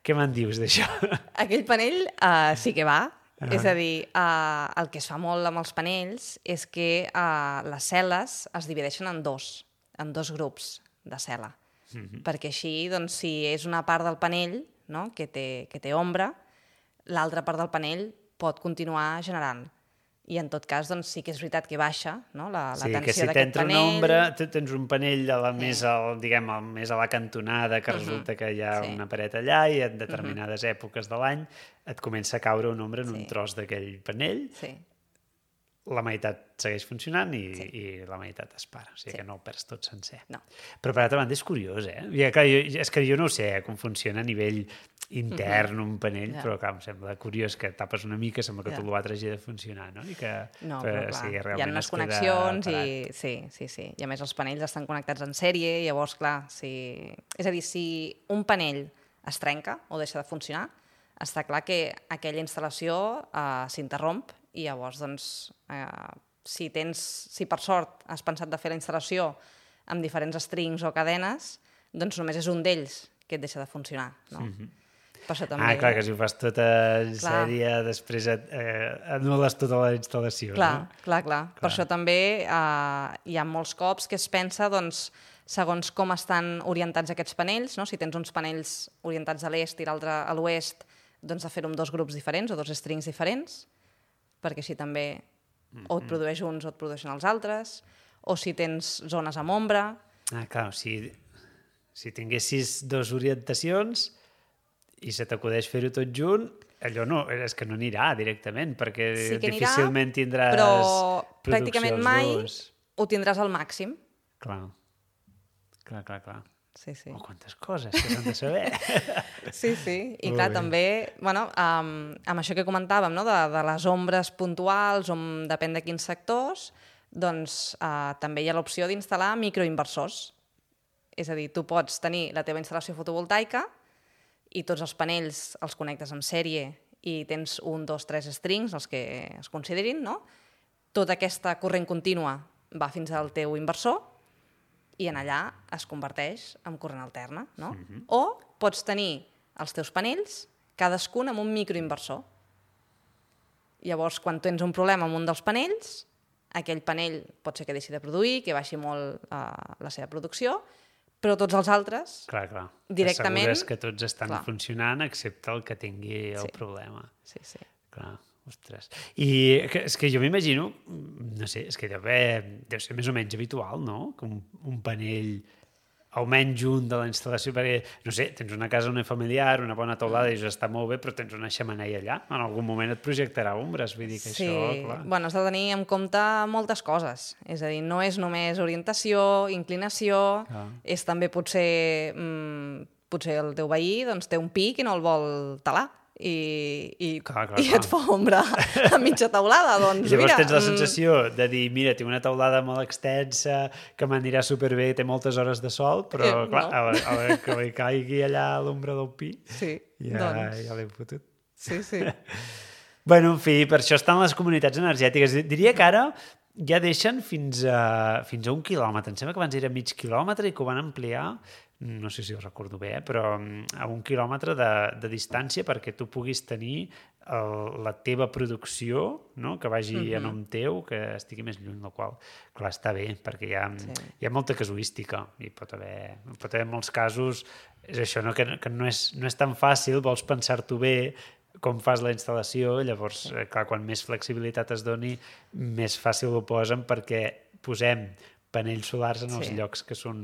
[SPEAKER 1] Què me'n dius d'això?
[SPEAKER 2] Aquell panell uh, sí que va, Uh -huh. És a dir, uh, el que es fa molt amb els panells és que uh, les cel·les es divideixen en dos, en dos grups de cel·la. Uh -huh. Perquè així, doncs, si és una part del panell, no?, que té, que té ombra, l'altra part del panell pot continuar generant. I en tot cas, doncs, sí que és veritat que baixa, no?, la, la
[SPEAKER 1] sí,
[SPEAKER 2] tensió
[SPEAKER 1] si
[SPEAKER 2] d'aquest panell.
[SPEAKER 1] una ombra, tu tens un panell a la més, al, diguem, al, més a la cantonada, que uh -huh. resulta que hi ha sí. una paret allà i en determinades uh -huh. èpoques de l'any et comença a caure una ombra en sí. un tros d'aquell panell. Sí. La meitat segueix funcionant i, sí. i la meitat es para. O sigui sí. que no el perds tot sencer. No. Però per altra banda és curiós, eh? I, clar, jo, és que jo no ho sé eh, com funciona a nivell intern uh -huh. un panell, yeah. però clar, em sembla curiós que tapes una mica, sembla que yeah. tot l'altre hagi de funcionar, no? I que,
[SPEAKER 2] no, però, però clar,
[SPEAKER 1] sí,
[SPEAKER 2] hi ha unes connexions i... Sí, sí, sí. I a més els panells estan connectats en sèrie i llavors, clar, si... És a dir, si un panell es trenca o deixa de funcionar, està clar que aquella instal·lació eh, s'interromp i llavors, doncs, eh, si tens, si per sort has pensat de fer la instal·lació amb diferents strings o cadenes, doncs només és un d'ells que et deixa de funcionar, no? Mm-hmm. Per això també...
[SPEAKER 1] Ah, clar, que si ho fas tota en sèrie, després et, eh, anul·les tota la instal·lació,
[SPEAKER 2] clar,
[SPEAKER 1] no?
[SPEAKER 2] Clar, clar, clar. Per això també eh, hi ha molts cops que es pensa, doncs, segons com estan orientats aquests panells, no? Si tens uns panells orientats a l'est i l'altre a l'oest, doncs de fer-ho amb dos grups diferents o dos strings diferents, perquè així també o et produeix uns o et produeixen els altres, o si tens zones amb ombra...
[SPEAKER 1] Ah, clar, o sigui, si tinguessis dues orientacions i se t'acudeix fer-ho tot junt, allò no, és que no anirà directament, perquè sí que anirà, difícilment tindràs
[SPEAKER 2] però pràcticament mai dos. Ho tindràs al màxim.
[SPEAKER 1] Clar, clar, clar, clar.
[SPEAKER 2] Sí, sí.
[SPEAKER 1] Oh, quantes coses que s'han de saber.
[SPEAKER 2] Sí, sí. I clar, també, bueno, um, amb això que comentàvem, no?, de, de les ombres puntuals, on depèn de quins sectors, doncs uh, també hi ha l'opció d'instal·lar microinversors. És a dir, tu pots tenir la teva instal·lació fotovoltaica i tots els panells els connectes en sèrie i tens un, dos, tres strings, els que es considerin, no? Tota aquesta corrent contínua va fins al teu inversor i en allà es converteix en corrent alterna, no? Mm-hmm. O pots tenir els teus panells, cadascun amb un microinversor. Llavors, quan tens un problema amb un dels panells, aquell panell pot ser que deixi de produir, que baixi molt uh, la seva producció, però tots els altres
[SPEAKER 1] clar, clar.
[SPEAKER 2] directament...
[SPEAKER 1] Assegures que tots estan clar. funcionant excepte el que tingui el
[SPEAKER 2] sí.
[SPEAKER 1] problema.
[SPEAKER 2] Sí, sí.
[SPEAKER 1] Clar, ostres. I que, és que jo m'imagino, no sé, és que deu, haver, deu ser més o menys habitual, no?, que un, un panell almenys un de la instal·lació, perquè, no sé, tens una casa unifamiliar, una bona teulada i això està molt bé, però tens una xemeneia allà, en algun moment et projectarà ombres, vull dir que
[SPEAKER 2] sí.
[SPEAKER 1] això, clar...
[SPEAKER 2] Bueno, has de tenir en compte moltes coses, és a dir, no és només orientació, inclinació, ah. és també potser, mmm, potser el teu veí doncs, té un pic i no el vol talar, i, i, clar, clar, i et fa ombra a mitja teulada, doncs
[SPEAKER 1] llavors
[SPEAKER 2] mira...
[SPEAKER 1] tens la sensació de dir, mira, tinc una teulada molt extensa, que m'anirà superbé, té moltes hores de sol, però eh, clar, no. a, a, a que li caigui allà a l'ombra del pi,
[SPEAKER 2] sí,
[SPEAKER 1] ja,
[SPEAKER 2] doncs...
[SPEAKER 1] ja l'he fotut.
[SPEAKER 2] Sí, sí.
[SPEAKER 1] Bueno, en fi, per això estan les comunitats energètiques. Diria que ara ja deixen fins a, fins a un quilòmetre. Em sembla que abans era mig quilòmetre i que ho van ampliar, no sé si ho recordo bé, eh, però a un quilòmetre de, de distància perquè tu puguis tenir el, la teva producció, no?, que vagi uh-huh. a nom teu, que estigui més lluny, la qual, clar, està bé, perquè hi ha, sí. hi ha molta casuística i pot haver, pot haver molts casos, és això, no?, que, que no, és, no és tan fàcil, vols pensar-t'ho bé, com fas la instal·lació, llavors, sí. clar, quan més flexibilitat es doni, més fàcil ho posen perquè posem panells solars en els sí. llocs que són,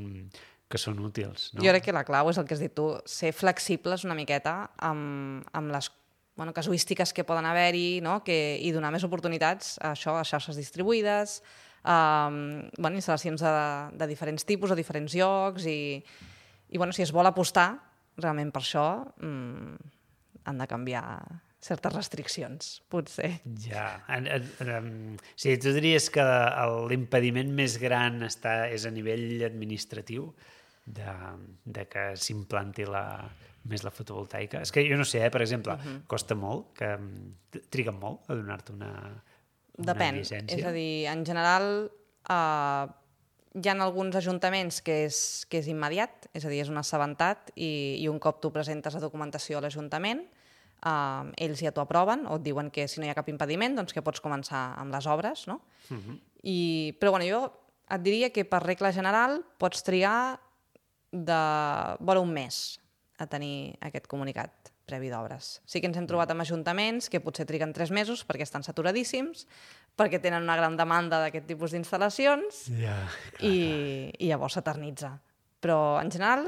[SPEAKER 1] que són útils. No?
[SPEAKER 2] Jo crec que la clau és el que has dit tu, ser flexibles una miqueta amb, amb les bueno, casuístiques que poden haver-hi, no? que, i donar més oportunitats a això, a xarxes distribuïdes, a bueno, instal·lacions de, de diferents tipus, a diferents llocs, i, i bueno, si es vol apostar realment per això, mmm, han de canviar certes restriccions, potser.
[SPEAKER 1] Ja. En, en, en, sí, tu diries que l'impediment més gran està, és a nivell administratiu de, de que s'implanti la, més la fotovoltaica. És que jo no sé, eh, per exemple, uh-huh. costa molt, que triguen molt a donar-te una, una
[SPEAKER 2] Depèn.
[SPEAKER 1] llicència.
[SPEAKER 2] És a dir, en general, eh, hi ha alguns ajuntaments que és, que és immediat, és a dir, és un assabentat i, i un cop tu presentes la documentació a l'Ajuntament, Uh, ells ja t'ho aproven o et diuen que si no hi ha cap impediment doncs que pots començar amb les obres, no? Uh-huh. I, però bueno, jo et diria que per regla general pots trigar de vora un mes a tenir aquest comunicat previ d'obres. Sí que ens hem trobat amb ajuntaments que potser triguen tres mesos perquè estan saturadíssims, perquè tenen una gran demanda d'aquest tipus d'instal·lacions
[SPEAKER 1] yeah,
[SPEAKER 2] i, i llavors s'eternitza. Però en general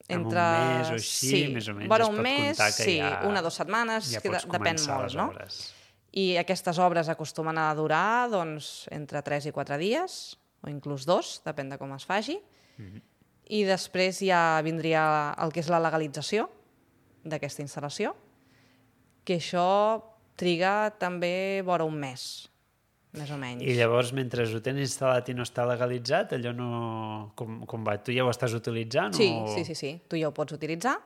[SPEAKER 2] entre...
[SPEAKER 1] Amb un mes o així,
[SPEAKER 2] sí,
[SPEAKER 1] més o menys,
[SPEAKER 2] vora
[SPEAKER 1] es
[SPEAKER 2] un
[SPEAKER 1] pot
[SPEAKER 2] mes,
[SPEAKER 1] comptar que
[SPEAKER 2] sí,
[SPEAKER 1] ja...
[SPEAKER 2] una o dues setmanes,
[SPEAKER 1] ja
[SPEAKER 2] que
[SPEAKER 1] pots
[SPEAKER 2] depèn
[SPEAKER 1] començar
[SPEAKER 2] molt,
[SPEAKER 1] les
[SPEAKER 2] no?
[SPEAKER 1] obres.
[SPEAKER 2] I aquestes obres acostumen a durar doncs, entre tres i quatre dies, o inclús dos, depèn de com es faci. Mm-hmm. I després ja vindria el que és la legalització d'aquesta instal·lació, que això triga també vora un mes, més o menys.
[SPEAKER 1] I llavors, mentre ho tens instal·lat i no està legalitzat, allò no... Com, com va? Tu ja ho estàs utilitzant?
[SPEAKER 2] Sí,
[SPEAKER 1] o...
[SPEAKER 2] sí, sí, sí, tu ja ho pots utilitzar.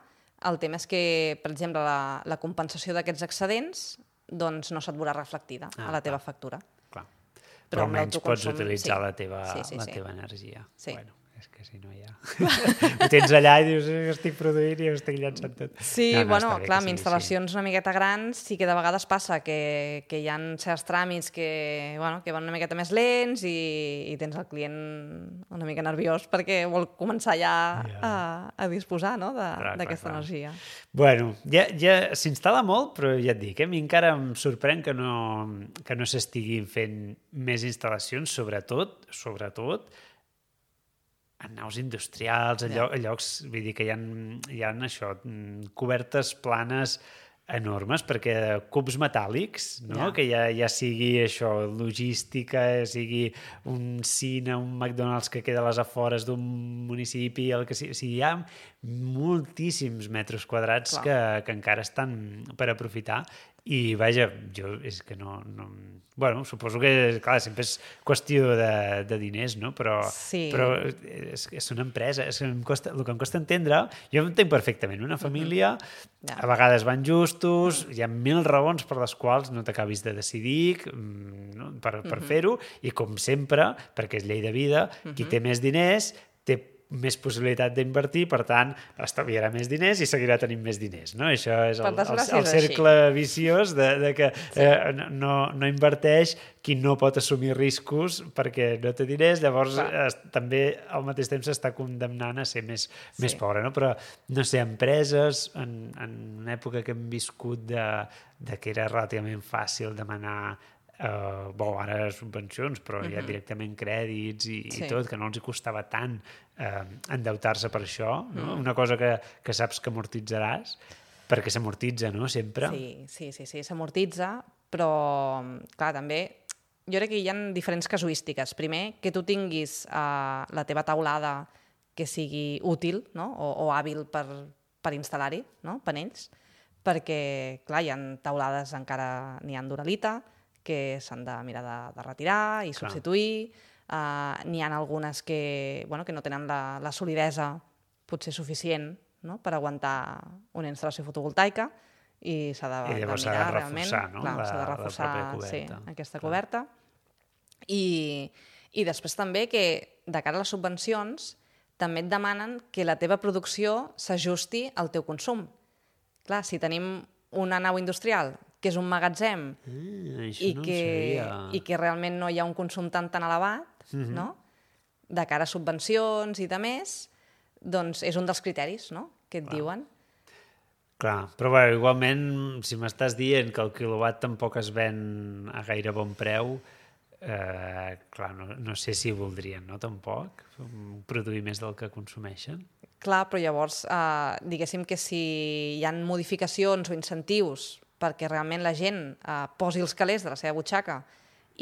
[SPEAKER 2] El tema és que, per exemple, la, la compensació d'aquests excedents doncs no se't veurà reflectida ah, a la teva
[SPEAKER 1] clar.
[SPEAKER 2] factura.
[SPEAKER 1] Clar.
[SPEAKER 2] Però,
[SPEAKER 1] Però almenys pots utilitzar
[SPEAKER 2] sí.
[SPEAKER 1] la teva,
[SPEAKER 2] sí, sí,
[SPEAKER 1] la
[SPEAKER 2] sí.
[SPEAKER 1] teva energia.
[SPEAKER 2] Sí.
[SPEAKER 1] Bueno, és que si no ja... ho tens allà i dius, estic produint i ho estic llançant tot.
[SPEAKER 2] Sí,
[SPEAKER 1] no, no,
[SPEAKER 2] bueno, clar, amb
[SPEAKER 1] sigui
[SPEAKER 2] instal·lacions
[SPEAKER 1] així.
[SPEAKER 2] Una miqueta grans sí que de vegades passa que, que hi ha certs tràmits que, bueno, que van una miqueta més lents i, i tens el client una mica nerviós perquè vol començar ja yeah. a, a disposar no, d'aquesta energia.
[SPEAKER 1] Bueno, ja, ja s'instal·la molt, però ja et dic, eh, a mi encara em sorprèn que no, que no s'estiguin fent més instal·lacions, sobretot, sobretot, en naus industrials, a, lloc, a llocs, vull dir que hi ha, hi ha això, cobertes planes enormes, perquè cubs metàl·lics, no? Yeah. Que ja, ja sigui això, logística, sigui un cine, un McDonald's que queda a les afores d'un municipi, el que sigui, o sigui, hi ha moltíssims metres quadrats que, que encara estan per aprofitar i, vaja, jo és que no... no bueno, suposo que, clar, sempre és qüestió de, de diners, no? Però, sí. però és, és una empresa, és que em costa, el que em costa entendre, jo entenc perfectament, una família, uh-huh. yeah. a vegades van justos, uh-huh. hi ha mil raons per les quals no t'acabis de decidir no? per, per uh-huh. fer-ho, i com sempre, perquè és llei de vida, uh-huh. qui té més diners té més possibilitat d'invertir, per tant, estalviarà més diners i seguirà tenint més diners. No? Això és el, el, el cercle així. Viciós de, de que sí. eh, no, no inverteix qui no pot assumir riscos perquè no té diners, llavors es, també al mateix temps s'està condemnant a ser més, sí. més pobre. No? Però, no sé, empreses, en, en una època que hem viscut de, de que era relativament fàcil demanar Uh, bo, ara subvencions, però uh-huh. ja directament crèdits i, sí. i tot, que no els hi costava tant uh, endeutar-se per això, no? Uh-huh. Una cosa que, que saps que amortitzaràs, perquè s'amortitza, no?, sempre.
[SPEAKER 2] Sí, sí, sí, sí s'amortitza, però, clar, també, jo crec que hi ha diferents casuístiques. Primer, que tu tinguis uh, la teva taulada que sigui útil, no?, o, o hàbil per, per instal·lar-hi, no?, panells, perquè, clar, hi ha taulades encara, n'hi ha d'uralita, que s'han de mirar de, de retirar i Clar. substituir. Uh, n'hi ha algunes que, bueno, que no tenen la, la solidesa potser suficient, no?, per aguantar una instal·lació fotovoltaica i s'ha de,
[SPEAKER 1] I
[SPEAKER 2] de mirar
[SPEAKER 1] s'ha de
[SPEAKER 2] realment.
[SPEAKER 1] reforçar, no?
[SPEAKER 2] Clar,
[SPEAKER 1] la,
[SPEAKER 2] s'ha de reforçar sí, aquesta Clar. coberta. I, I després també que de cara a les subvencions també et demanen que la teva producció s'ajusti al teu consum. Clar, si tenim una nau industrial que és un magatzem
[SPEAKER 1] ah,
[SPEAKER 2] i,
[SPEAKER 1] no
[SPEAKER 2] que, i que realment no hi ha un consum tan tan elevat, uh-huh. no? De cara a subvencions i de més, doncs és un dels criteris, no?, que et Clar. diuen.
[SPEAKER 1] Clar, però bé, igualment, si m'estàs dient que el quilowatt tampoc es ven a gaire bon preu, eh, clar, no, no sé si voldrien, no?, tampoc, produir més del que consumeixen.
[SPEAKER 2] Clar, però llavors, eh, diguéssim que si hi ha modificacions o incentius perquè realment la gent eh, posi els calés de la seva butxaca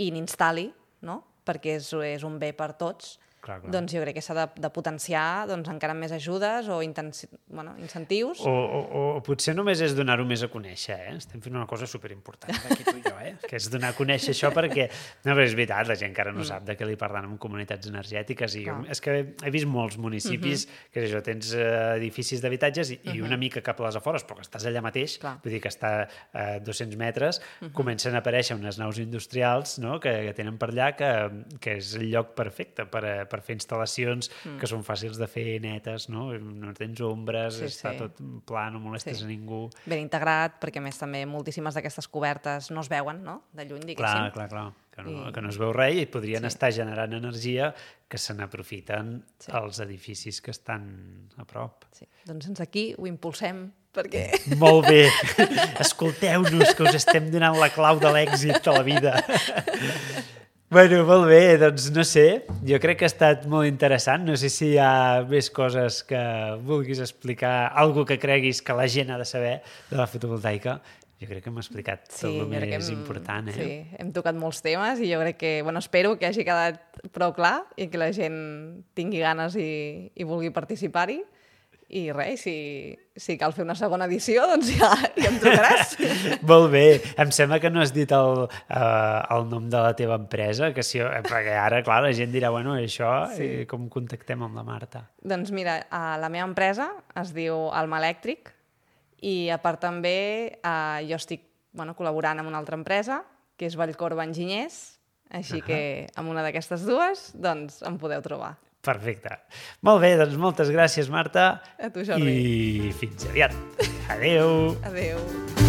[SPEAKER 2] i n'instal·li, no?, perquè és, és un bé per tots, clar, clar. Doncs jo crec que s'ha de, de potenciar doncs, encara més ajudes o intensi... bueno, incentius.
[SPEAKER 1] O, o, o potser només és donar-ho més a conèixer, eh? Estem fent una cosa superimportant aquí tu i jo, eh? Que és donar a conèixer això perquè... No, però és veritat, la gent encara no mm. sap de què li parlen en comunitats energètiques i jo, és que he vist molts municipis mm-hmm. que això, tens uh, edificis d'habitatges i, mm-hmm. i una mica cap a les afores, però que estàs allà mateix, clar. Vull dir que està a uh, dos-cents metres, mm-hmm. comencen a aparèixer unes naus industrials, no?, que, que tenen per allà que, que és el lloc perfecte per a per fer instal·lacions mm. que són fàcils de fer netes, no? No tens ombres, sí, està sí. tot pla, no molestes sí. a ningú.
[SPEAKER 2] Ben integrat, perquè a més també moltíssimes d'aquestes cobertes no es veuen, no? De lluny, diguéssim.
[SPEAKER 1] Clar, clar, clar. Que no, I... que no es veu res i podrien sí. estar generant energia que se n'aprofiten sí. els edificis que estan a prop.
[SPEAKER 2] Sí. Doncs ens aquí ho impulsem perquè...
[SPEAKER 1] Molt bé. Escolteu-nos, que us estem donant la clau de l'èxit de la vida. Bueno, molt bé, doncs no sé, jo crec que ha estat molt interessant, no sé si hi ha més coses que vulguis explicar, algo que creguis que la gent ha de saber de la fotovoltaica. Jo crec que hem explicat sí, tot el més hem, important, eh?
[SPEAKER 2] Sí, hem tocat molts temes i jo crec que, bueno, espero que hagi quedat prou clar i que la gent tingui ganes i, i vulgui participar-hi. I res, si, si cal fer una segona edició, doncs ja, ja em trucaràs.
[SPEAKER 1] Molt bé. Em sembla que no has dit el, uh, el nom de la teva empresa, que si, perquè ara, clar, la gent dirà, bueno, això, sí. i com contactem amb la Marta?
[SPEAKER 2] Doncs mira, uh, la meva empresa es diu Alma Elèctric i a part també uh, jo estic bueno, col·laborant amb una altra empresa, que és Vallcorba Enginyers, així uh-huh. que amb una d'aquestes dues doncs em podeu trobar.
[SPEAKER 1] Perfecte. Molt bé, doncs moltes gràcies, Marta.
[SPEAKER 2] A tu, Jordi.
[SPEAKER 1] I fins aviat. Adéu.
[SPEAKER 2] Adéu.